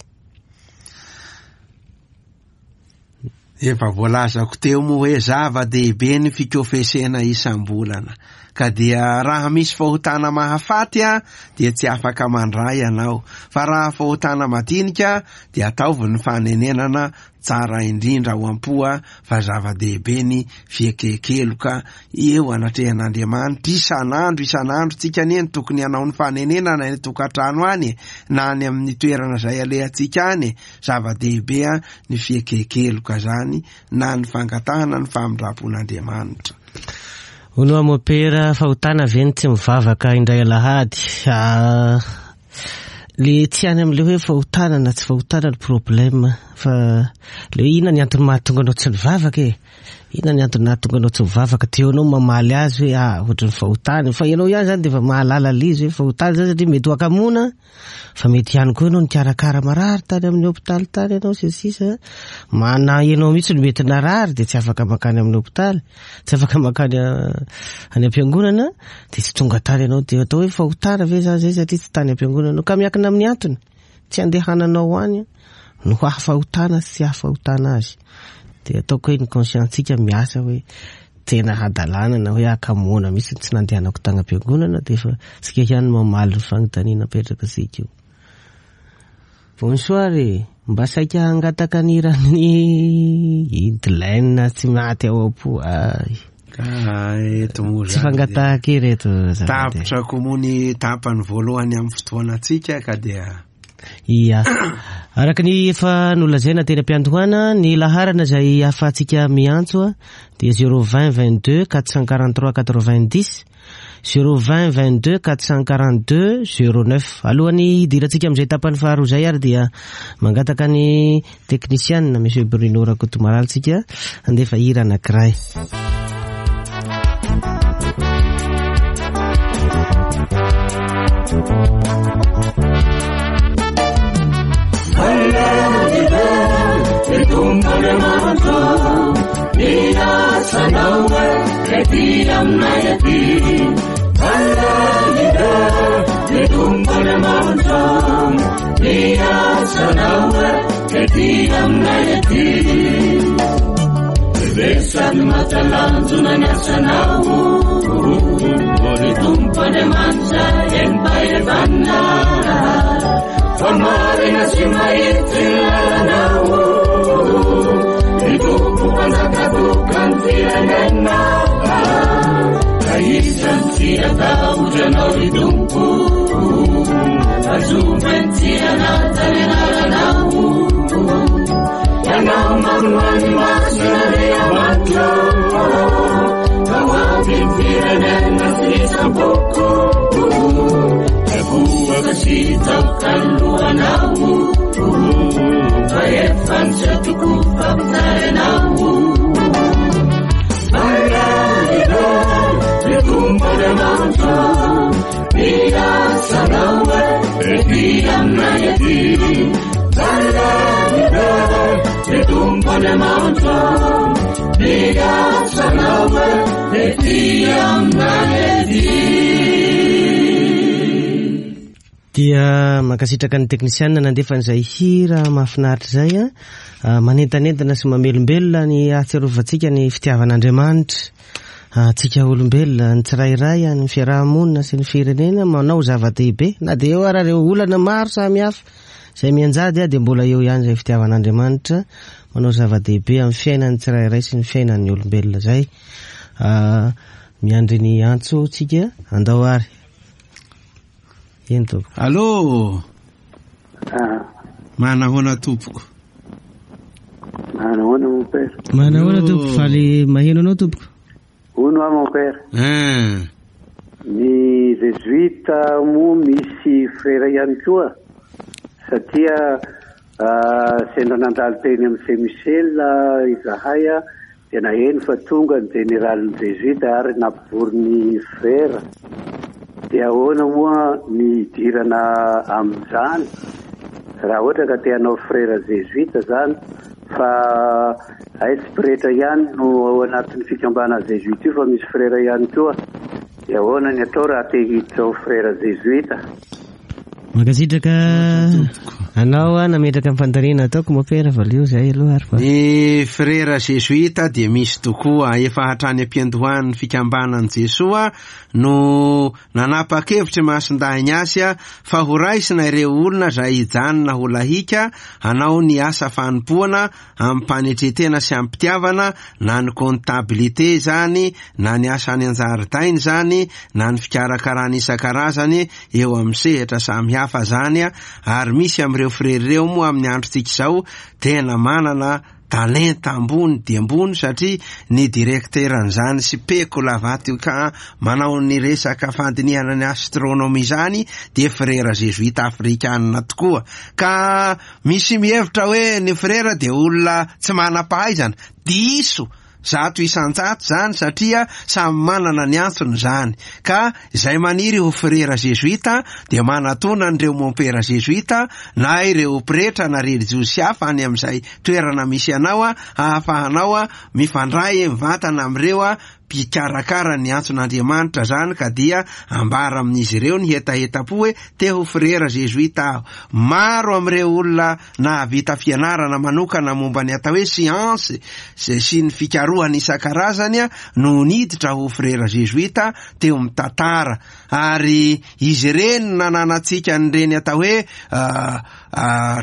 Efa voalazako teo moa hoe zava-dehibe ny fikofesena isam-bolana. Ka dia raha misy fahotana mahafaty a, dia tsy afaka mandray ianao. Fa raha fahotana madinika dia ataovy ny fanenenana tsara indrindra ao am-po a, fa zava-dehibe ny fiekekeloka eo anatrehan'Andriamanitra. Isan'andro, isan'andro tsika anie no tokony hanao ny fanenenana any an-tokantrano any, na any amin'ny toerana izay alehantsika any. Zava-dehibe a ny fiekekeloka zany, na ny fangatahana ny famindram-pon'Andriamanitra. Hono aho mopera, fahotana ve ny tsy mivavaka indray alahady? Ah, le tsy any amin'le hoe fahotana na tsy fahotana ny problème, fa le hoe inona ny antony mahatonga anao tsy mivavaka e? Inona ny antony mahatonga anao tsy mivavaka? Teo anao mamaly azy hoe, ah, ohatry ny fahotana. Fa ianao ihany zany dia efa mahalala le izy hoe fahotana zany, satria mety ho akamoana, fa mety ihany koa ianao nikarakara marary tany amin'ny hôpitaly tany ianao sy ny sisa. Mana ianao mihitsy no mety narary dia tsy afaka mankany amin'ny hôpitaly, tsy afaka mankany a-, any am-piangonana, dia tsy tonga tany ianao. Dia atao hoe fahotana ve zany zay satria tsy tany am-piangonana ianao? Ka miankina amin'ny antony tsy andehananao any no hahafahotana sy tsy hahafahotana azy. Dia ataoko hoe ny conscience-tsika miasa hoe tena hadalana na hoe akamoana mihitsy tsy nandehanako tany am-piangonana, dia efa tsika ihany no mamaly ny fanontaniana apetraka tsika io. Bonsoir e, mba saika hangataka ny hiran'ny Idlaine tsy maty ao am-po. Ay. Ka eto moa Tsy zany fangatahaka ireto, azafady. Tapitra koa moa ny tapany voalohany amin'ny fotoanantsika ka dia Ia. Araka ny efa nolazaina teny am-piandohana, ny laharana izay ahafahantsika miantso a, dia zéro vingt vingt-deux quatre cent quarante-trois quatre-vingt-dix, zéro vingt vingt-deux quatre cent quarante-deux zéro neuf. Alohan'ny hidirantsika amin'izay tapany faharoa izay ary dia mangataka ny teknisianina Monsieur Bruno Rakotomalala tsika handefa hira anankiray. Dia mankasitraka ny teknisianina nandefa an'izay hira mahafinaritra izay a, manentanentana sy mamelombelona ny ahatsiarovantsika ny fitiavan'Andriamanitra antsika olombelona, ny tsirairay, ny fiarahamonina sy ny firenena manao zava-dehibe na dia eo ara ireo olana maro samihafa izay mianjady a, dia mbola eo ihany izay fitiavan'Andriamanitra manao zava-dehibe amin'ny fiainan'ny tsirairay sy ny fiainan'ny olombelona izay. Miandry ny antso tsika, andao ary. Eny tompoko. Allô. Ah. Manahoana tompoko? Manahoana mon père? Manahoana tompoko, faly maheno anao tompoko. Hono aho mon père. Hein. Ny jésuite moa misy frère ihany koa satria sendra nandalo teny amin'ny Saint Michel izahay a, dia naheno fa tonga ny généralin'ny jésuite ary nampivory ny frère. Dia ahoana moa ny hidirana amin'izany raha ohatra ka te hanao frère jésuite zany, fa ay tsy pretra ihany no ao anatin'ny fikambanana jésuite io fa misy frère ihany koa. Dia ahoana ny atao raha te hiditra ho frère jésuite? Mankasitraka anao a nametraka ny fanontaniana ataoko mopera, valio zay aloha ary fa. Ny frère jésuite dia misy tokoa, efa hatrany am-piandohan'ny fikambanan'i Jesoa no nanapa-kevitra Masindahy Ignace fa ho raisina ireo olona izay hijanona ho lahika hanao ny asa fanompoana amim-panetretena sy amim-pitiavana, na ny comptabilité izany, na ny asa any an-jaridaina izany, na ny fikarakarana isan-karazany eo amin'ny sehatra samihafa izany. Ary misy amin'ireo frère ireo moa amin'ny androntsika izao tena manana talenta ambony dia ambony, satria ny direkteran'izany sy Peko Vatican manao ny resaka fandinihana ny astronomie izany dia frère jésuite afrikanina tokoa. Ka misy mihevitra hoe ny frère dia olona tsy manam-pahaizana, diso zato isan-jato zany, satria samy manana ny antsony zany. Ka izay maniry ho frère jésuite dia manatona an'ireo mompera jésuite na ireo pretra na religiosy hafa any amin'izay toerana misy anao a, ahafahanao a mifandray mivantana amin'ireo a mpikarakara ny antson'Andriamanitra zany, ka dia ambara amin'izy ireo ny hetaheta-po hoe te ho frère jésuite aho. Maro amin'ireo olona nahavita fianarana manokana momba ny atao hoe science sy ny fikarohana isan-karazany a no niditra ho frère jésuite teo amin'ny tantara, ary izy ireny nananantsika an'ireny atao hoe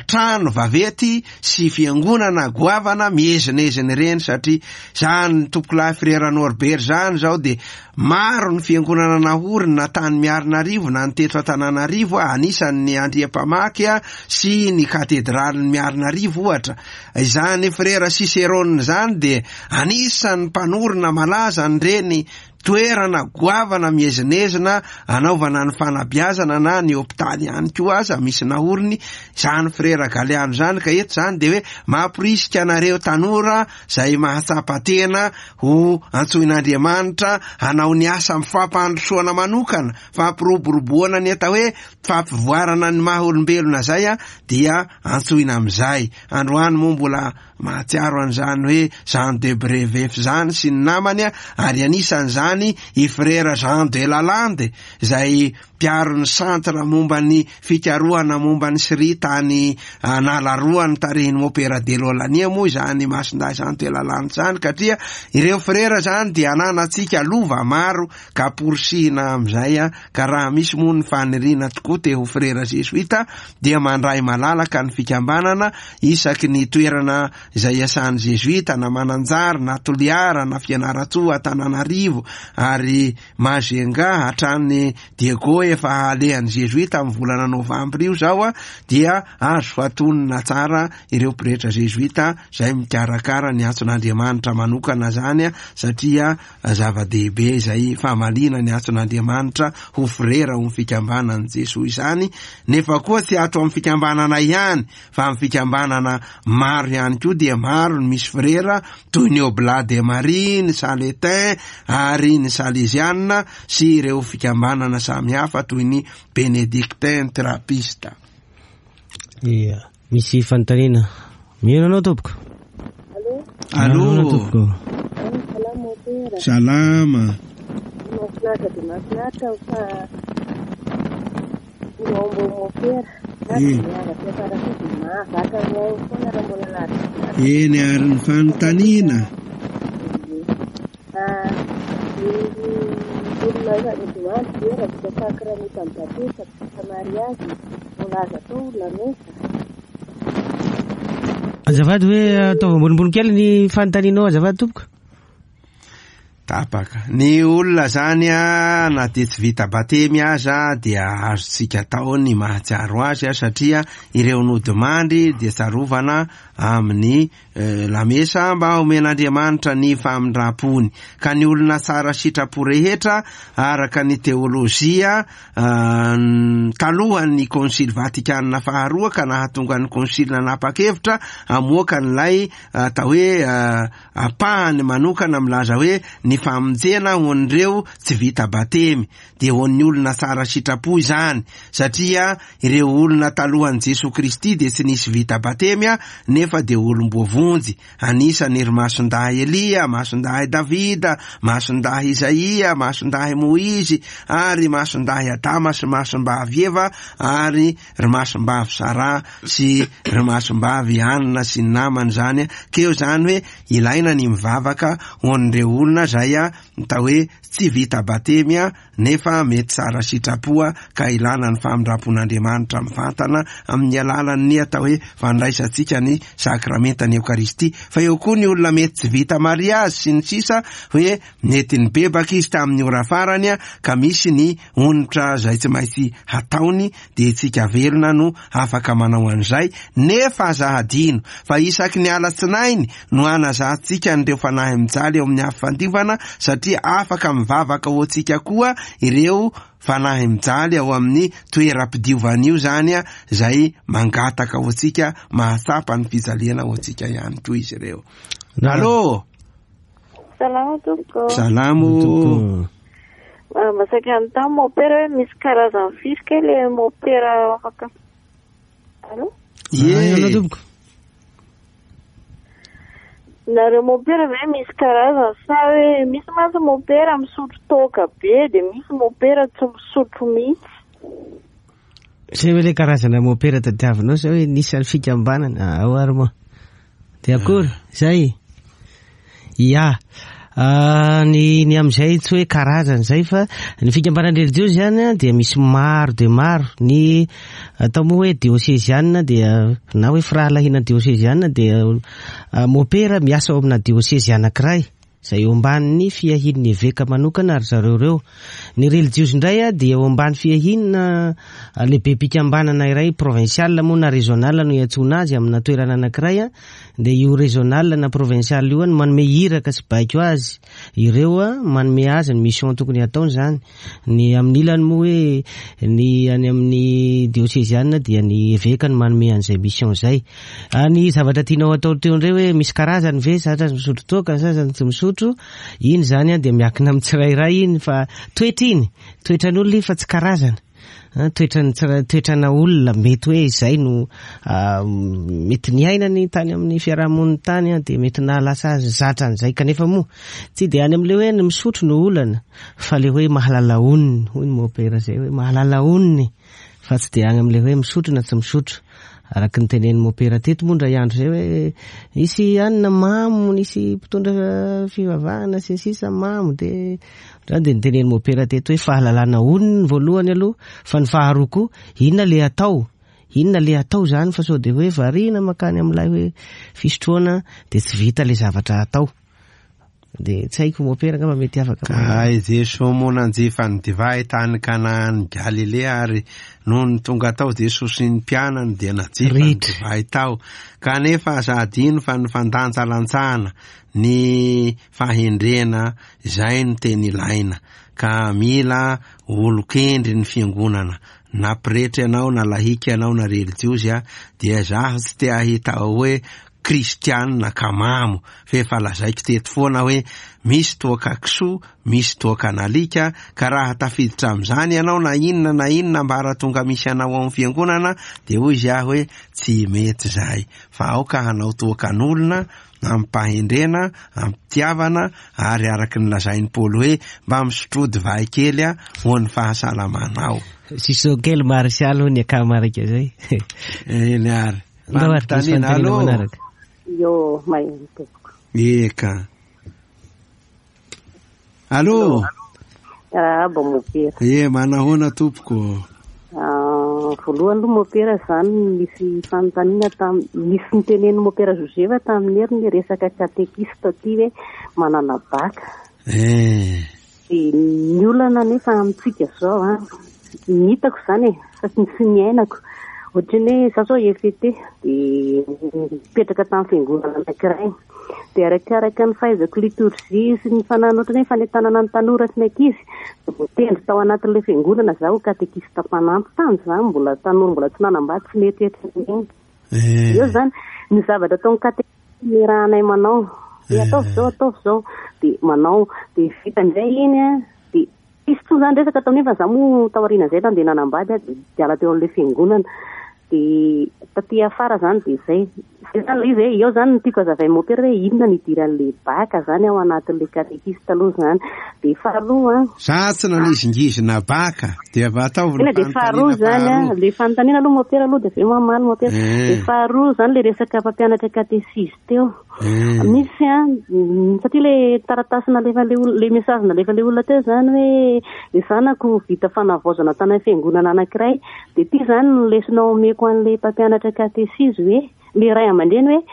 trano vaventy sy fiangonana goavana miezinezina ireny, satria zany tompokolahy frère Norbert zany zao dia maro ny fiangonana nahorina tany Miarinarivo na ny teto Antananarivo, anisan'ny Andriampamaky a sy ny katedralin'ny Miarinarivo ohatra. Izany frère Cicérone zany dia anisan'ny mpanorina malaza an'ireny toerana goavana miezinezina anaovana ny fanabeazana na ny hopitaly ihany koa aza misy nahoriny zany frère Galiano zany. Ka eto zany dia hoe mamporisika anareo tanora zay mahatsapa tena ho antsoin'Andriamanitra hanao ny asa amin'ny fampandrosoana manokana, fampiroboroboana ny atao hoe fampivoarana ny maha olombelona zay a, dia antsoina amin'izay. Androany moa mbola mahatsiaro an'izany hoe Jean de Brevet zany sy ny namany a, ary anisan'izany i frère Jean de Lalande izay mpiaro ny centre momba ny fikarohana momba ny Syria tany Analaroa ny tarehin'ny Mopera de Lolania moa izany Masindahy Jean de Lalande zany, katria ireo frère zany dia ananantsika lova maro ka porisihina amin'izay a. Ka raha misy moa ny faniriana tokoa te ho frère jésuite dia mandray malalaka ny fikambanana isaky ny toerana izay iasan'ny jésuite na Mananjary na Toliara na Fianarantsoa Antananarivo ary Majunga hatrany Diego efa alehan'ny jésuite amin'ny volana novambra io zao a, dia azo fatonina tsara ireo pretra jésuite izay mikarakara ny antson'Andriamanitra manokana zany a, satria zava-dehibe izay famaliana ny antson'Andriamanitra ho frera ho fikambanan'i Jesoa izany. Nefa koa tsy ato amin'ny fikambanana ihany fa amin'ny fikambanana maro ihany koa dia maro ny misy frera toy ny Oblat de Marie, ny Saletin ary ny Salesiana sy ireo fikambanana samihafa toy ny Bénédictin Trappiste. Ia, misy fanontaniana. Mino anao tompoko? Allô. Allô tompoko. Salama pera. Salama. Mahafinaritra dia mahafinaritra fa Miombo mopera. Eny. Mahazaka mihaino foana raha mbola lavitra. Eny, ary ny fanontaniana? Ah, ny olona efa nodimandry ve raha vita sakramenta amin'ny batisa, vita mariazy, mbola azo atao lamesa? Azafady hoe ataovy ambonimbony kely ny fanontanianao, azafady tompoko. Tapaka. Ny olona zany a, na dia tsy vita batemy aza dia azontsika atao ny mahatsiaro azy a, satria ireo nodimandry dia tsarovana amin'ny eh, lamesa mba omen'Andriamanitra ny famindram-pony. Ka ny olona tsara sitrapo rehetra araka ny teolojia ah, talohan'ny Konsily Vatikana faharoa ka nahatonga ny konsily nanapa-kevitra amoaka an'ilay atao hoe ah, ampahany manokana milaza hoe ny famonjena ho an'ireo tsy vita batemy dia ho an'ny olona tsara sitrapo izany, satria ireo olona talohan'i Jesoa Kristy dia tsy nisy vita batemy a, nefa dia olom-boavonjy. Anisany ry masindahy Elia, masindahy Davida, masindahy Izaia, masindahy Moizy, ary masindahy Adama sy masimbavy Eva, ary ry masimbavy Sara sy ry masimbavy Anna sy ny namany zany. Keo zany hoe ilaina ny mivavaka ho an'ireo olona zay a, atao hoe tsy vita batemy a, nefa mety tsara sitrapo ka ilana ny famindram-pon'Andriamanitra mivantana amin'ny alalan'ny atao hoe fandraisantsika ny sakramentan'ny Eokaristia. Fa eo koa ny olona mety tsy vita mariazy sy ny sisa, hoe mety nibebaka izy tamin'ny ora farany a, ka misy ny onitra zay tsy maintsy hataony, dia tsika velona no afaka manao an'izay. Nefa aza hadino fa isaky ny alatsinainy no anazahantsika an'ireo fanahy mijaly eo amin'ny afo fandiovana, satria afaka mivavaka ho antsika koa ireo fanahy mijaly ao amin'ny toeram-pidiovana io zany a, zay mangataka ho antsika, mahatsapa ny fijaliana ho antsika ihany koa izy ireo. Allô? Salama tompoko. Salamo. Ah, Masaky anontany mopera hoe misy karazany firy kay le mopera afaka. Allô? Ie. Allô tompoko. Nareo mopera ve misy karazany sa hoe misy mantsy mopera misotro toaka be dia misy mopera tsy misotro mihitsy? Zay hoe le karazana mopera tadiavinao sa hoe nisy fikambanana ao ary moa. Dia akory zay. Ia. Ah, ny ny amin'izay tsy hoe karazany zay, fa ny fikambanana relijiozy zany a, dia misy maro dia maro. Ny atao moa hoe dioseziana dia na hoe firahalahiana dioseziana dia ah, mopera miasa ao amina diosezy anankiray zay eo ambanin'ny fiahian'ny eveka manokana ary zareo ireo. Ny relijiozy indray a dia eo ambany fiahiana lehibe mpikambanana iray provincial moa na régional no iantsoana azy amina toerana anankiray a, dia io régional na provincial io a no manome iraka sy baiko azy ireo a, manome azy ny mission tokony hataony zany. Ny amin'ny ilany moa hoe ny any amin'ny dioseziana dia ny eveka no manome an'izay mission zay. Ah, ny zavatra tianao atao teo indray hoe misy karazany ve, sasany misotro toaka, sasany tsy misotro, iny zany a dia miankina amin'ny tsirairay iny, fa toetra iny, toetran'olona iny fa tsy karazana. Ah, toetran'ny tsira-, toetrana olona mety hoe izay no, ah, mety niainany tany amin'ny fiarahamonina tany a, dia mety nahalasa azy zatra an'izay, kanefa moa tsy dia any amin'ilay hoe ny misotro no olana, fa le hoe mahalala onony, hoy ny mopera zay hoe mahalala onony, fa tsy dia any amin'ilay hoe misotro na tsy misotro. Araka ny tenenin'ny mopera teto moa indray andro zay hoe nisy anina mamo, nisy mpitondra fivavahana sy ny sisa mamo, dia zany dia nitenen'ny mopera teto hoe fahalalana onony voalohany aloha, fa ny faharoa koa inona le atao, inona le atao zany, fa sao dia hoe variana makany amin'ilay hoe fisotroana dia tsy vita le zavatra atao. Dia tsy haiko mopera angamba mety afaka. Ka i Jesoa moa nanjifa ny divay tany Kanaan Galilea, ary nony tonga tao Jesoa sy ny mpianany dia nanjifa ny Ritra. divay tao. Kanefa aza adino fa ny fandanjalanjana, ny fahendrena izay no teny ilaina, ka mila olon-kendry ny fiangonana. Na pretra ianao, na lahika ianao, na relijiozy a, dia zaho tsy te hahita hoe kristianina ka mamo, fa efa lazaiko teto foana hoe misy toaka kisoa, misy toaka nalika, ka raha tafiditra amin'izany ianao na inona na inona ambaratonga misy anao ao amin'ny fiangonana, dia hoy izy aho hoe tsy mety izay, fa aoka hanao toakan'olona amim-pahendrena, amim-pitiavana, ary araka ny lazain'i Paoly hoe mba misotroa divay kely a ho an'ny fahasalamanao. Siso kely Martial hoy ny akamarika zay. Eny ary. Ndao ary misy Fanontaniana, fanontaniana allô? manaraka. Yo, maheno tompoko. Eka. Allô? Arahaba mopera. E, manahoana tompoko? Ah, voalohany aloha mopera zany misy fanontaniana tam misy nitenen'ny mopera Joseph tamin'ny heriny resaka katekista ty hoe manana baka. Eh. Dia ny olana nefa amintsika zao a, ny hitako zany e, fa tsy tsy niainako. Ohatran'ny hoe za zao E F T dia mipetraka tamin'ny fiangonana anankiray. Dia arakaraka ny fahaizako litorjia sy ny fananana ohatran'ny hoe fanentanana ny tanora sy ny ankizy, dia voatendry tao anatin'ilay fiangonana zaho katekista mpanampy. Tany za mbola tanora, mbola tsy nanambady, tsy mieritreritra n'inona. Eh. Eo zany ny zavatra ataon'ny katekista niarahanay manao. Hoe ataovy zao, ataovy zao, dia manao, dia vita indray iny a, dia tsisy intsony zany resaka tao nefa za moa taorian'izay nandeha nanambady a, dia niala teo amin'ilay fiangonana. Dia taty afara zany dia zay. Zay zany ilay izy hoe eo zany no tiako hazavain'ny mopera hoe inona ny idiran'ilay baka zany ao anatin'ilay katekista aloha zany. Dia faharoa a, Za tsy nanizingizina baka dia va ataovy ny Ena dia faharoa fanontaniana zany a, faharoa. le fanontaniana aloha mopera aloha dia avy eo mamaly mopera. Eh. Dia faharoa zany le resaka mpampianatra katesizy teo. Eh. Misy a, mm, satria le taratasy nalefa le olona, le message nalefa le olona teo zany hoe le zanako vita fanavaozana tany amin'ny fiangonana anankiray, dia ty zany no lesona omeko an'le mpampianatra katesizy hoe le ray aman-dreny hoe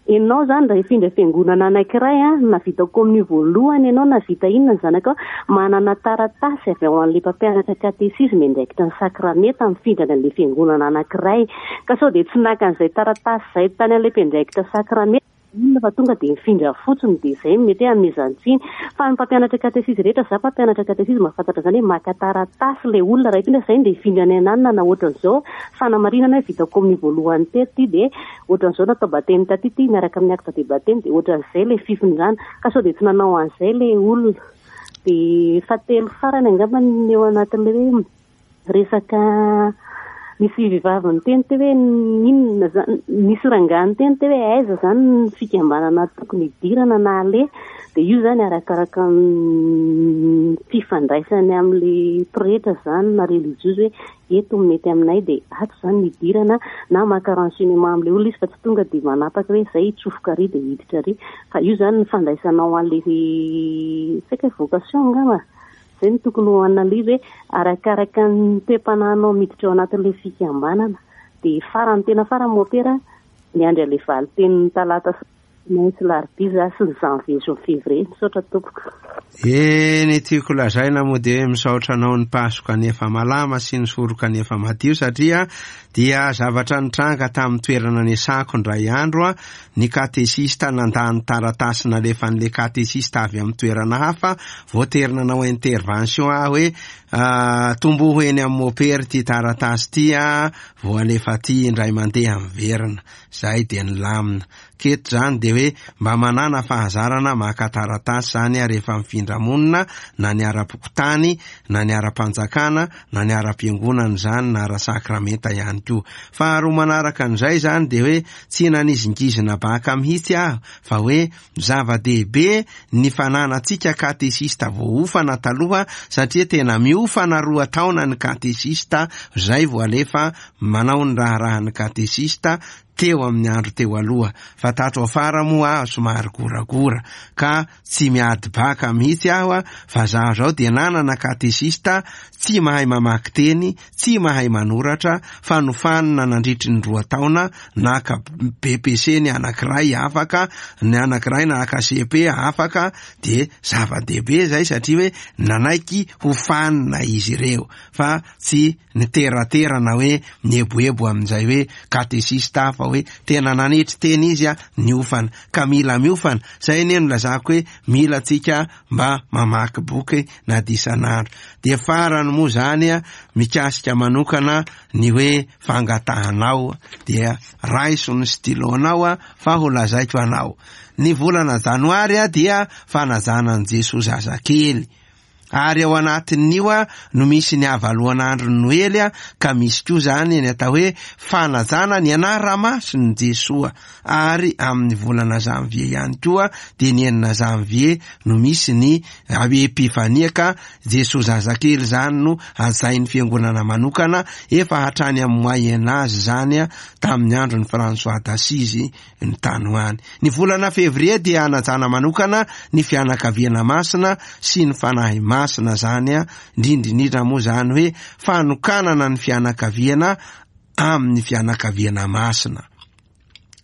ianao zany raha hifindra fiangonana anankiray a, na vita kominio voalohany ianao na vita inona ny zanakao, manana taratasy avy ao an'le mpampianatra katesizy miandraikitra ny sakramenta mifindrana an'le fiangonana anankiray, ka sao dia tsy naka an'izay taratasy izay tany an'le mpiandraikitra sakramenta inona fa tonga dia mifindra fotsiny, dia izay mety hoe amezan-tsiny. Fa ny mpampianatra katesizy rehetra, za mpampianatra katesizy mahafantatra zany hoe maka taratasy le olona raha hifindra zay dia hifindra any ananona na ohatran'izao fanamarinana hoe vita kominio voalohany teto ty, dia ohatran'izao natao batemy taty ty miaraka amin'ny acte de baptême, dia ohatran'izay le fifindrana, ka sao dia tsy nanao an'izay le olona. Dia fahatelo farany angamba ny eo anatin'ilay hoe resaka misy vehivavy niteny teo hoe inona zany, misy rangahy niteny teo hoe aiza zany ny fikambanana tokony hidirana na aleha, dia io zany arakaraka ny fifandraisany amin'le pretra zany na religieuse hoe eto mety aminay dia ato zany ny hidirana, na maka renseignement amin'le olona izy fa tsy tonga dia manapaka hoe zay hitsofoka ary dia hiditra ary, fa io zany ny fandraisanao an'le tsy haiko hoe vocation angamba. Zay no tokony ho analyse hoe arakaraka ny toe-panahinao miditra ao anatin'ilay fikambanana. Dia farany tena farany mopera miandry an'ilay valin-tenin'ny talata sy alarobia za sy ny janvier sy février. Misaotra tompoko. E, ny tiako lazaina moa dia hoe misaotra anao ny pasoka nefa malama sy ny soroka nefa madio, satria dia zavatra nitranga tamin'ny toerana niasako indray andro a, ny katesista nandany taratasy nalefan'le katesista avy amin'ny toerana hafa, voatery nanao intervention aho hoe, ah, tomboho eny amin'ny mopery ty taratasy ty a, vao alefa ty indray mandeha miverina. Zay dia nilamina. Keto zany dia hoe mba manana fahazarana maka taratasy zany a rehefa mifindra monina, na ny ara-pokontany, na ny ara-panjakana, na ny ara-piangonana zany, na ara-sakramenta ihany koa. Faharoa manaraka an'izay zany dia hoe tsy nanizingizina baka mihitsy aho, fa hoe zava-dehibe ny fananantsika katesista voaofana taloha, satria tena miofana roa taona ny katesista zay vao alefa manao ny raharahan'ny katesista teo amin'ny andro teo aloha. Fa tato afara moa aho somary goragora ka tsy miady baka mihitsy aho a, fa zaho zao dia nanana katesista tsy mahay mamaky teny, tsy mahay manoratra, fa nofanina nandritry ny roa taona, naka B P C ny anankiray afaka, ny anankiray naka C P afaka, dia zava-dehibe zay satria hoe nanaiky ho fanina izy ireo, fa tsy niteraterana hoe nieboebo amin'izay hoe katesista, fa hoe tena nanetry teny izy a niofana, ka mila miofana. Zay anie no lazako hoe mila tsika mba mamaky boky na disan'andro. Dia farany moa zany a, mikasika manokana ny hoe fangatahanao, dia raiso ny stylonao a, fa ho lazaiko anao. Ny volana janoary a dia fanajana an' Jesoa zazakely. Ary ao anatin'io a no misy ny havaloan'andro Noely a, ka misy koa zany ny atao hoe fanajana ny anara-masin'i Jesoa. Ary amin'ny volana janvier ihany koa dia ny enina janvier no misy ny Epifania, ka Jesoa zazakely zany no hajain'ny fiangonana manokana efa hatrany amin'ny Moyen Âge zany a, tamin'ny andron'ny François d'Assise ny tany ho any. Ny volana février dia hanajana manokana ny fianakaviana masina sy ny fanahy masina zany a, indrindrindrindra moa zany hoe fanokanana ny fianakaviana amin'ny fianakaviana masina.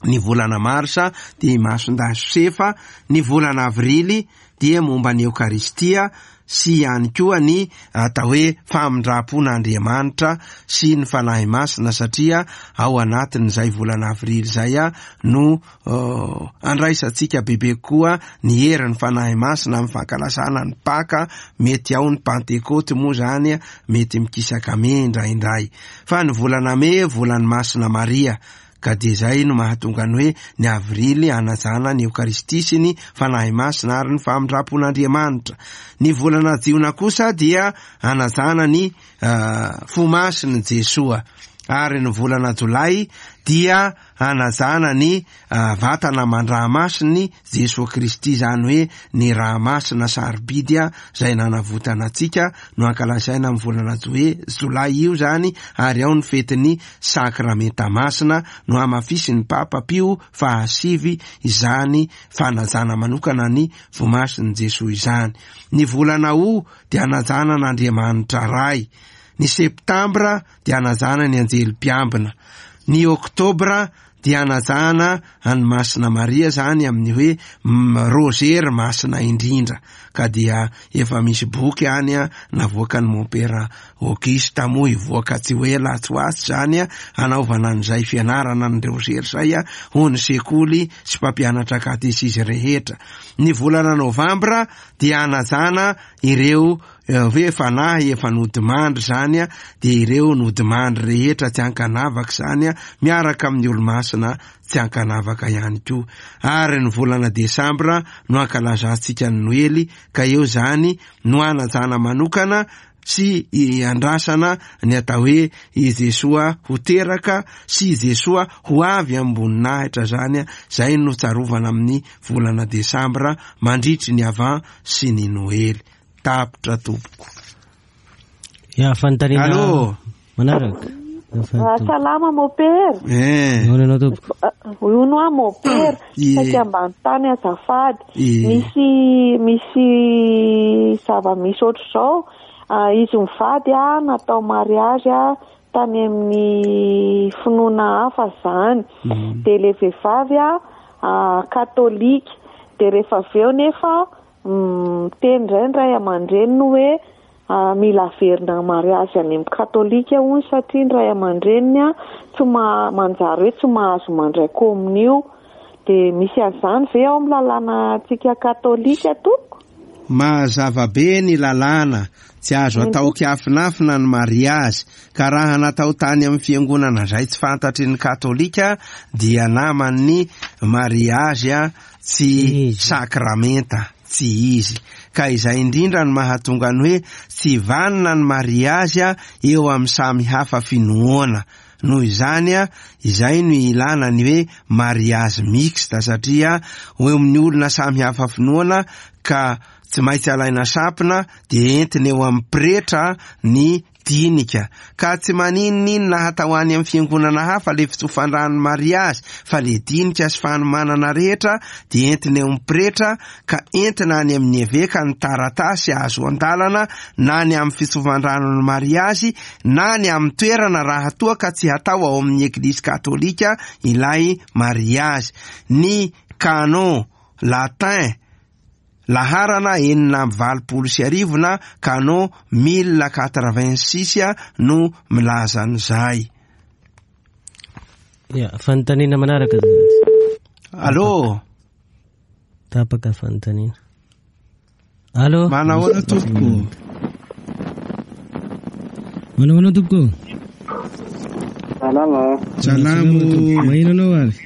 Ny volana marsa dia Masindahy Josefa, ny volana avrily dia momba ny Eokaristia sy ihany koa ny atao hoe famindram-pon'Andriamanitra sy ny fanahy masina, satria ao anatin'izay volana avrily izay a no uh, andraisantsika bebe koa ny herin'ny fanahy masina amin'ny fankalazana ny Paka. Mety ao ny Pantekoty moa zany, mety mikisaka mey indraindray. Fa ny volana mey volan'ny Masina Maria, ka dia izay no mahatonga ny hoe ny avrily hanajana ny Eokaristia sy ny fanahy masina ary ny famindram-pon'Andriamanitra. Ny volana jiona kosa dia hanajana ny uh, fo masin'i Jesoa. Ary ny volana jolay dia hanajana ny uh, vatana aman-drà-masin'i Jesoa Kristy, zany hoe ny rà masina sarobidy izay nanavotana antsika no ankalazaina amin'ny volana jolay io zany. Ary ao ny fetin'ny sakramenta masina no hamafisin'ny Papa Pio fahasivy izany fanajana manokana ny vomasin'i Jesoa izany. Ny volana o dia hanajana an'Andriamanitra Ray. Ny septambra dia hanajana ny anjely mpiambina. Ny oktobra dia hanajana an'i Masina Maria zany amin'ny hoe rozery masina indrindra, ka dia efa misy boky any a navoakan'ny Mompera Auguste moa hivoaka tsy ho ela tsy ho atsy zany a, hanaovana an'izay fianarana ny rozery zay a ho ny sekoly sy mpampianatra katesizy rehetra. Ny volana novambra dia hanajana ireo hoe fanahy efa nodimandry zany a, dia ireo nodimandry rehetra tsy ankanavaka zany a, miaraka amin'ny olo-masina tsy ankanavaka ihany koa. Ary ny volana desambra no ankalazantsika ny Noely, ka eo zany no hanajana manokana sy andrasana ny atao hoe i Jesoa ho teraka sy i Jesoa ho avy am-boninahitra zany a, zay no tsarovana amin'ny volana desambra mandritry ny avant sy ny Noely. Tapitra tompoko. Ya, fanontaniana. Allô? Manaraka. Salama mopera. Eh. Ahoana anao tompoko? Hono aho mopera. Ie. Saika ambany tany azafady. Ie. Misy misy zava-misy ohatr'izao. Ah, izy mivady a natao mariage a tany amin'ny finoana hafa zany. Mm. Dia le vehivavy a ah, katolika. Dia rehefa avy eo nefa miteny indray ny ray aman-dreniny hoe ah, mila averina mariazy any amin'ny katolika hono, satria ny ray aman-dreniny a tsy ma-, manjary hoe tsy mahazo mandray komonio. Dia misy an'izany ve ao amin'ny lalàna antsika katolika tompoko? Mazava be ny lalàna, tsy azo atao kiafinafina ny mariazy, ka raha natao tany amin'ny fiangonana izay tsy fantatry ny katolika dia naman'ny mariazy a tsy Izy. sakramenta, tsy izy. Ka izay indrindra no mahatonga ny hoe tsy vanona ny mariazy a eo amin'ny samy hafa finoana. Noho izany a, izay no ilana ny hoe mariazy mixte, satria eo amin'ny olona samy hafa finoana ka tsy maintsy alaina sampona dia entina eo amin'ny pretra ny dinika. Ka tsy maninon'inona hatao any amin'ny fiangonana hafa le fitsofan-drano mariazy, fa le dinika sy fanomanana rehetra dia entina eo amin'ny pretra, ka entina any amin'ny eveka ny taratasy azo an-dalana na ny amin'ny fitsofan-drano ny mariazy na ny amin'ny toerana raha toa ka tsy hatao ao amin'ny eglizy katolika ilay mariazy. Ny canon latin laharana enina amby valopolo sy arivo na canon mille quatre-vingt-six no milaza an'izay. Ya, fanontaniana manaraka. Allô? Tapaka fanontaniana. Allô? Manahoana tompoko? Manahoana tompoko? Salama. Salamo. Maheno anao ary?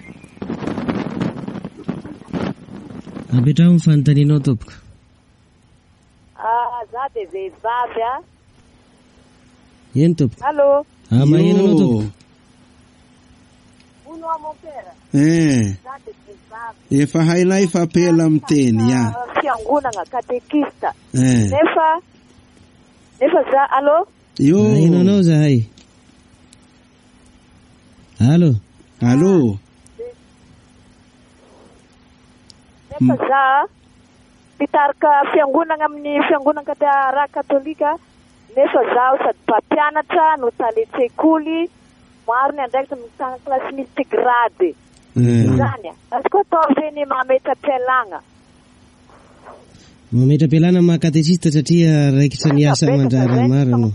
Apetraho ny fanontanianao tompoko. Ah, za Za dia vehivavy a. Eny tompoko. Allô. Ah, maheno anao tompoko. Hono aho mon père. Eh. Za dia vehivavy. Efa hainay fa pela miteny ya. Fiangonana katekista. Eh. Nefa nefa za allô. Io. Maheno anao zahay. Allô. Allô. Nefa za mpitarika fiangonana amin'ny fiangonana raha katolika, nefa zaho sady mpampianatra no talen-tsekoly, maro ny andraikitra mitana kilasy multigrade. Zany azoko atao ve ny mametra-pialana? Mametra-pialana maha katesista satria raikitra ny asa aman-draharaha maro anao.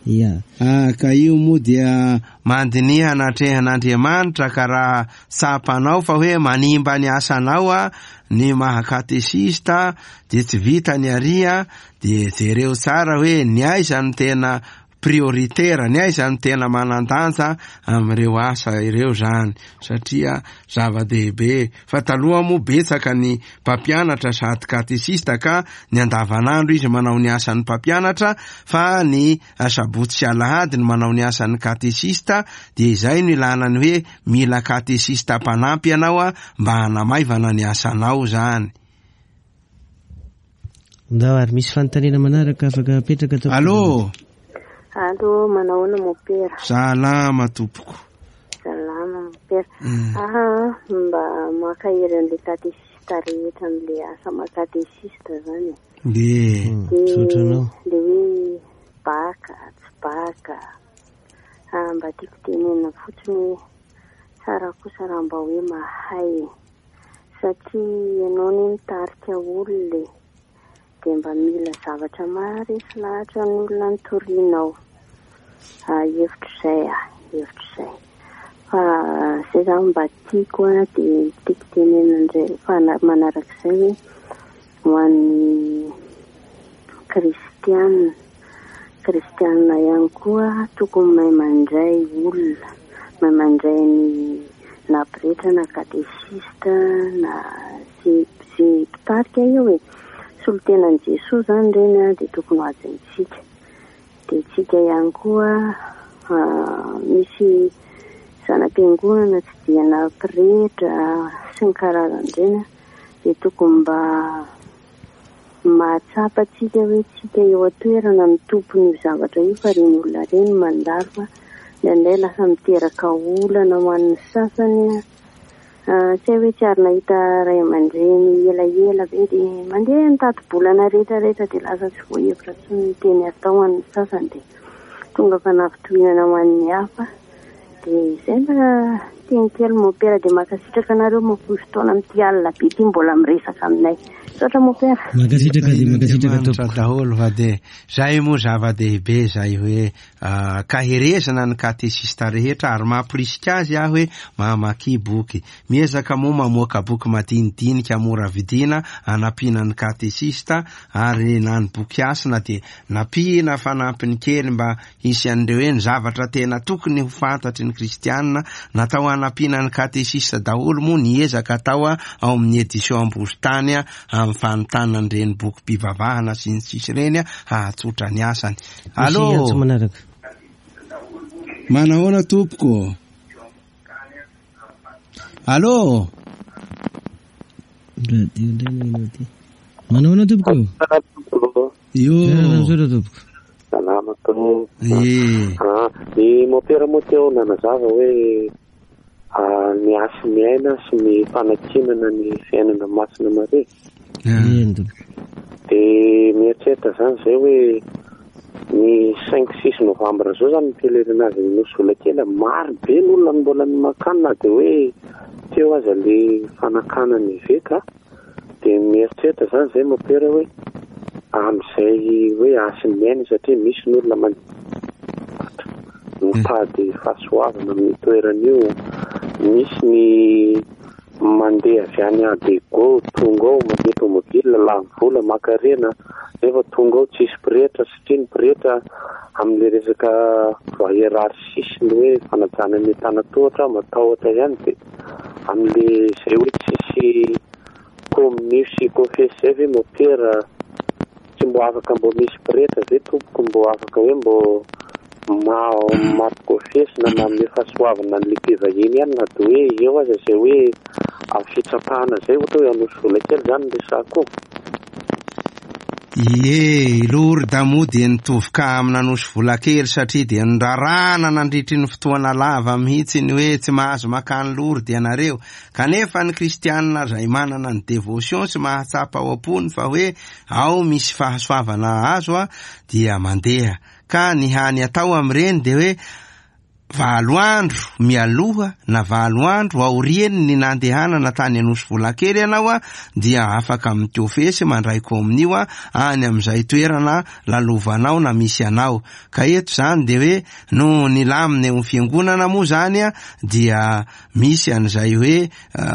Ya. Ah, ka io moa dia mandiniha anatrehan'Andriamanitra ka raha tsapanao fa hoe manimba ny asanao a ny maha katesista dia tsy vita ny aria, dia jereo tsara hoe ny aiza no tena prioritaire, ny aiza no tena manan-danja amin'ireo asa ireo zany, satria zava-dehibe. Fa taloha moa betsaka ny mpampianatra sady katesista ka ny andavanandro izy manao ny asan'ny mpampianatra, fa ny asabotsy sy alahady no manao ny asan'ny katesista, dia izay no ilana ny hoe mila katesista mpanampy ianao a mba hanamaivana ny asanao zany. Ndao ary misy fanontaniana manaraka afaka apetraka tompoko. Allô. Allô, manahoana mopera? Salama tompoko. Salama mopera. Ah, mba makahery an'ilay katesista rehetra amin'ilay asa maha katesista zany. Be. Misaotra anao. Le hoe baka, tsy baka. Ah, mba tiako tenenina fotsiny hoe tsara kosa raha mba hoe mahay. Satria ianao ne mitarika olona e. Dia mba mila zavatra maharesy lahatra ny olona nitorianao. Ah, hevitro izay ah, hevitro izay. Fa izay zany mba tiako a, dia tiako tenenina indray fa manarak'izay hoe ho an'ny kristianina. Kristianina ihany koa tokony mahay mandray olona, mahay mandray ny na pretra na katesista na ze ze mpitarika eo e. Solotenan'i Jesoa zany ireny a, dia tokony ho hajaintsika. Dia tsika ihany koa misy zanam-piangonana tsy dia na pretra sy ny karazan'ireny a, dia tokony mba mahatsapa tsika hoe tsika eo an-toerana ny tompon'io zavatra io, fa ireny olona ireny mandalo fa indraindray lasa miteraka olana ho an'ny sasany a. Tsy hay hoe tsy ary nahita ray aman-dreny elaela be dia mandeha nitati-bolana rehetrarehetra dia lasa tsy voahevitra intsony ny teny atao an'ny sasany, dia tonga fanavitohinana ho an'ny hafa. Dia izay mba teny kely mopera, dia mankasitraka anareo mahafoy fotoana amin'ity alina be ity mbola miresaka aminay. Misaotra mopera. Mankasitraka dia mankasitraka tompoko. Daholo fa dia zay moa zava-dehibe zay hoe kaherezana ny katesista rehetra, ary mampirisika azy aho hoe mamaky boky. Miezaka moa mamoaka boky madinidinika mora vidiana anampiana ny katesista, ary na ny boky hasina dia nampiana fanampiny kely mba hisy an'ireo hoe ny zavatra tena tokony ho fantatry ny kristianina. Natao anampiana ny katesista daholo moa ny ezaka atao ao amin'ny édition Ambozontany amin'ny fanontana an'ireny bokim-pivavahana sy ny sisy ireny hahatsotra ny asany. Allô. Manahoana tompoko? Allô. Radio indray no ity. Manahoana tompoko? Io. Misaotra tompoko. Salama tompoko. Eh. Ah, ny mopera moa teo nanazava hoe ny hasin'ny aina sy ny fanakinana ny fiainana masina Maria. Eny tompoko. Dia mieritreritra zany zay hoe ny cinq six novembre zao zany ny pèlerinage ny Nosy Volakely, maro be ny olona mbola makany na dia hoe teo aza le fanakana ny eveka. Dia mieritreritra zany zay mopera hoe amin'izay hoe hasin'ny aina, satria misy ny olona mandeha mitady fahasoavana amin'ny toerana io, misy ny mandeha avy any Adego tonga ao mandeha tomobile lany vola makarena, nefa tonga ao tsisy pretra, satria ny pretra amin'ilay resaka hiérarchie ny hoe fanajana ny tanatohatra matahotra ihany, dia amin'ilay izay hoe tsisy communio sy confesse zay ve mopera tsy mbo afaka mbo misy pretra ve tompoko mbo afaka hoe mbo mampikofesy na manome fahasoavana an'ilay mpivahiny ihany na de hoe eo aza izay hoe amin'ny fitsapahana izay ohatra hoe Anosivolakely izany ny resako. Ie, Lourdes moa dia nitovy ka amin'Anosivolakely satria dia nirarahana nandritry ny fotoana lava mihitsy ny hoe tsy mahazo makany Lourdes ianareo. Kanefa ny kristianina izay manana ny dévotion sy mahatsapa ao am-pony fa hoe ao misy fahasoavana azo a dia mandeha. Ka ny hany atao amin'ireny dia hoe valo andro mialoha na valo andro aoriany ny nandehanana tany Anosivolakely ianao a dia afaka mitofesy mandray kominio a any amin'izay toerana lalovanao na misy anao. Ka eto zany dia hoe no ny lamina eo amin'ny fiangonana moa zany a dia misy an'izay hoe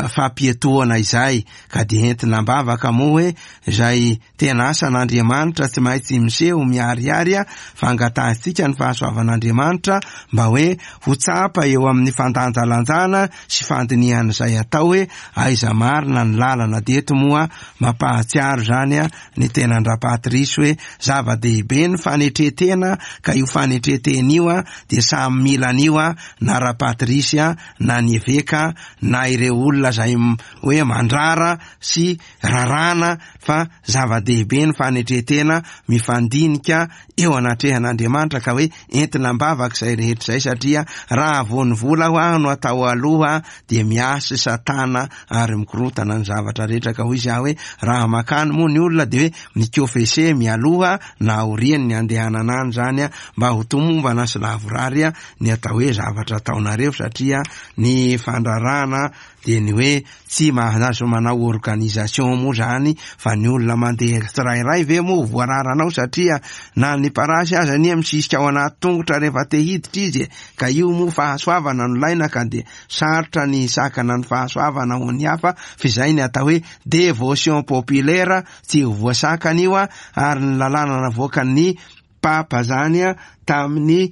fampietoana izay, ka dia entina am-bavaka moa hoe izay tena asan'Andriamanitra tsy maintsy miseho miharihary a fa angatahantsika ny fahasoavan'Andriamanitra mba hoe ho tsapa eo amin'ny fandanjalanjana sy fandinihan'izay atao hoe aiza marina ny lalana. Dia eto moa mampahatsiaro zany a ny tenan-dRapatrice hoe zava-dehibe ny fanetretena, ka io fanetretena io a dia samy mila an'io a na Rapatrice a na ny eveka na ireo olona izay hoe mandrara sy rarana, fa zava-dehibe ny fanetretena mifandinika eo anatrehan'Andriamanitra, ka hoe entina am-bavaka izay rehetra izay, satria raha vao ny vola ho aho no atao aloha dia miasy satana ary mikorotana ny zavatra rehetra. Ka hoy izy aho hoe raha makany moa ny olona dia hoe mikofese mialoha na aoriany ny andehanana any zany a mba ho tomombana sy lavorary a ny atao hoe zavatra ataonareo, satria ny fandrarana dia ny hoe tsy mahazo manao organisation moa zany fa ny olona mandeha tsirairay ve moa voararanao, satria na ny parasy aza anie misisika ao anaty tongotra rehefa te hiditra izy, ka io moa fahasoavana no laina, ka dia sarotra ny sakana ny fahasoavana ho ny hafa, fa izay ny atao hoe dévotion populaire tsy ho voasakana io a. Ary ny lalàna navoakan'ny Papa zany a tamin'ny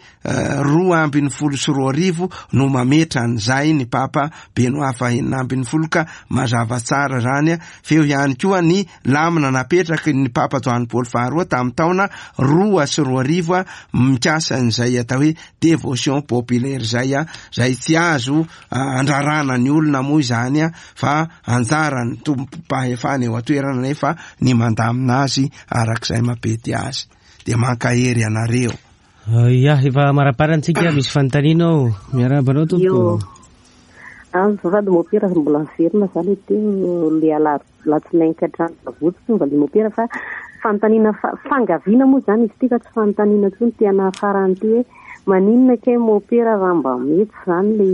roa ambin'ny folo sy roa arivo no mametra an'izay ny Papa Benoît fahenina ambin'ny folo, ka mazava tsara zany a. Feo ihany koa ny lamina napetraky ny Papa Joany Paoly faharoa tamin'ny taona roa sy roa arivo a mikasa an'izay atao hoe dévotion populaire zay a, zay tsy azo andrarana ny olona moa izany a, fa anjaran'ny tompom-pahefana eo an-toerana nefa ny mandamina azy arak'izay mampety azy. Dia mankahery anareo. Ia, efa maraparantsika misy fanontaniana ao. Miarahaba anao tompoko. Azafady mopera mbola miverina za le teo le ala latsinainy ka hatrany Votsy tonga le mopera, fa fanontaniana fangaviana moa zany izy ity fa tsy fanontaniana intsony tena farany ity hoe maninona kay mopera raha mba mety zany le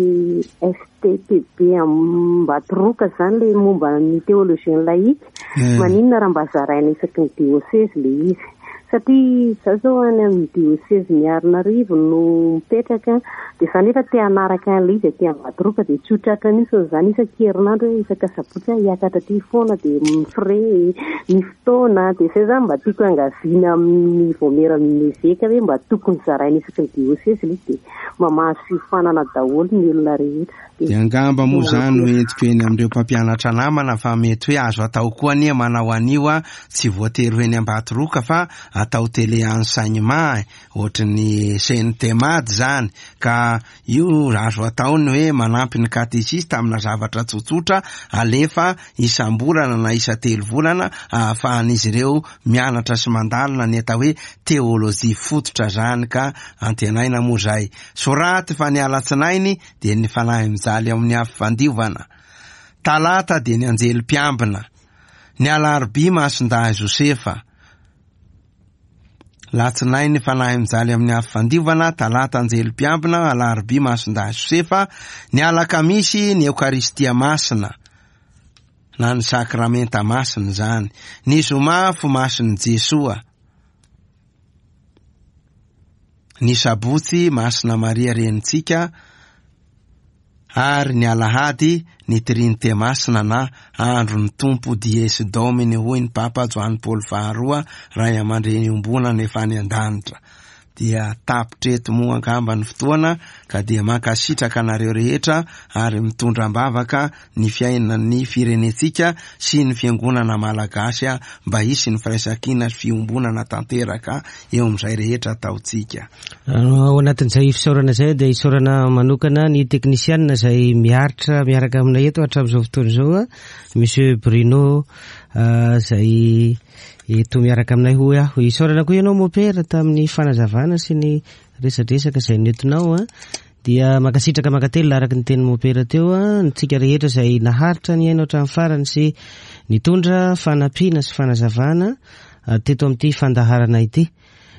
F T P B Ambatoroka zany le momba ny théologien laïque, maninona raha mba zaraina isaky ny diocèse le izy, satria za zao any amin'ny diocèse Miarinarivo no mipetraka, dia za nefa te hanaraka an'ilay izy aty Ambatoroka dia tsy ho tratra mihitsy zany isan-kerinandro hoe isaka sabotsy aho hiakatra aty foana dia mifre ny fotoana, dia izay zany mba tiako angaviana amin'ny vaomiera amin'ny eveka hoe mba tokony zaraina isaky ny diocèse ilay izy, dia mba mahazo fiofanana daholo ny olona rehetra. Dia angamba moa zany no entiko eny amin'ireo mpampianatra namana fa mety hoe azo atao koa anie manao an'io a, tsy voatery ho eny Ambatoroka fa atao télé enseignement ohatry ny C N T M A D zany, ka io azo atao ny hoe manampy ny katesista amina zavatra tsotsotra alefa isam-bolana na isa-telo volana ahafahan'izy ireo mianatra sy mandalina ny atao hoe teolojia fototra zany, ka antenaina moa zay. Soraty fa ny alatsinainy dia ny fanahy mijaly ao amin'ny afo fandiovana, talata dia ny anjely mpiambina, ny alarobia masindahy Josefa, latsinainy fanahy mijaly amin'ny afo fandiovana, talata anjely mpiambina, alarobia masindahy Josefa, ny alakamisy ny Eokaristia masina na ny sakramenta masina zany, ny zoma fo masin'i Jesoa, ny sabotsy masina Maria renintsika, ary ny alahady ny Trinite masina na andron'ny Tompo Dies Domini hoy ny Papa Joany Paoly faharoa, ray aman-dreny iombonana efa any an-danitra. dia tapitra eto moa angamba ny fotoana, ka dia mankasitraka anareo rehetra ary mitondra am-bavaka ny fiainan'ny firenentsika sy ny fiangonana malagasy mba hisy ny firaisankina sy fiombonana tanteraka eo amin'izay rehetra ataontsika. Ao anatin'izay fisaorana izay dia isaorana manokana ny teknisianina izay miaritra miaraka aminay eto hatramin'izao fotoana izao, Monsieur Bruno izay eto miaraka aminay hoy aho. Isaorana koa ianao Mopera tamin'ny fanazavana sy ny resadresaka izay nentinao. Dia mankasitraka mankatelina araka ny tenin'ny Mopera teo, ntsika rehetra izay naharitra ny aina hatramin'ny farany sy nitondra fanampiana sy fanazavana teto amin'ity fandaharana ity.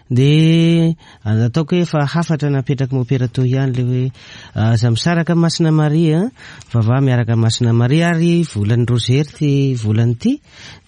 Dia ataoko hoe efa hafatra napetraky Mopera teo ihany le hoe aza misaraka Masina Maria, vavaha miaraka Masina Maria, ary volan'ny rozery ty volany ity,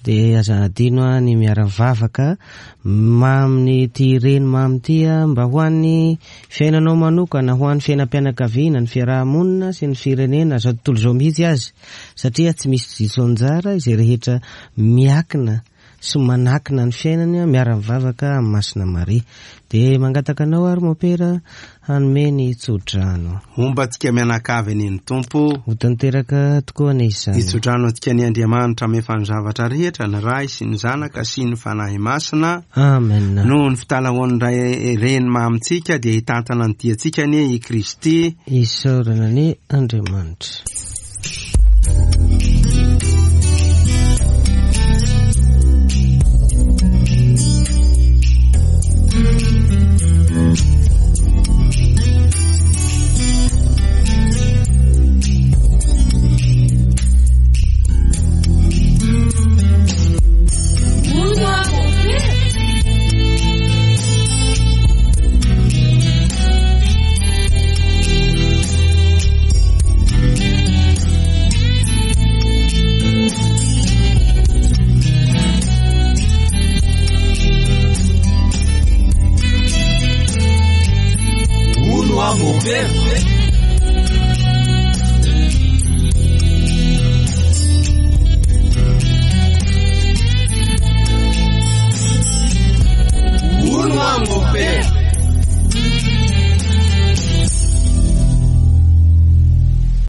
dia aza adino ny miara-mivavaka mamy ty reny mamy ty mba ho an'ny fiainanao manokana, ho an'ny fiainam-pianakaviana, ny fiarahamonina sy ny firenena, zao tontolo izao mihitsy azy, satria tsy misy diso anjara izay rehetra miakina sy manakina ny fiainany miara-mivavaka amin'ny Masina Maria. Dia mangataka anao ary Mopera hanome ny tsodrano. Homba antsika mianakavy anie ny Tompo. Ho tanteraka tokoa anie izany. Ny tsodrano antsika ny Andriamanitra mefa ny zavatra rehetra, ny Ray sy ny Zanaka sy ny Fanahy Masina. Amen. Noho ny fitalahoan'ny Ray Reny mamintsika dia hitantana ny diantsika anie i Kristy. Isaorana anie Andriamanitra.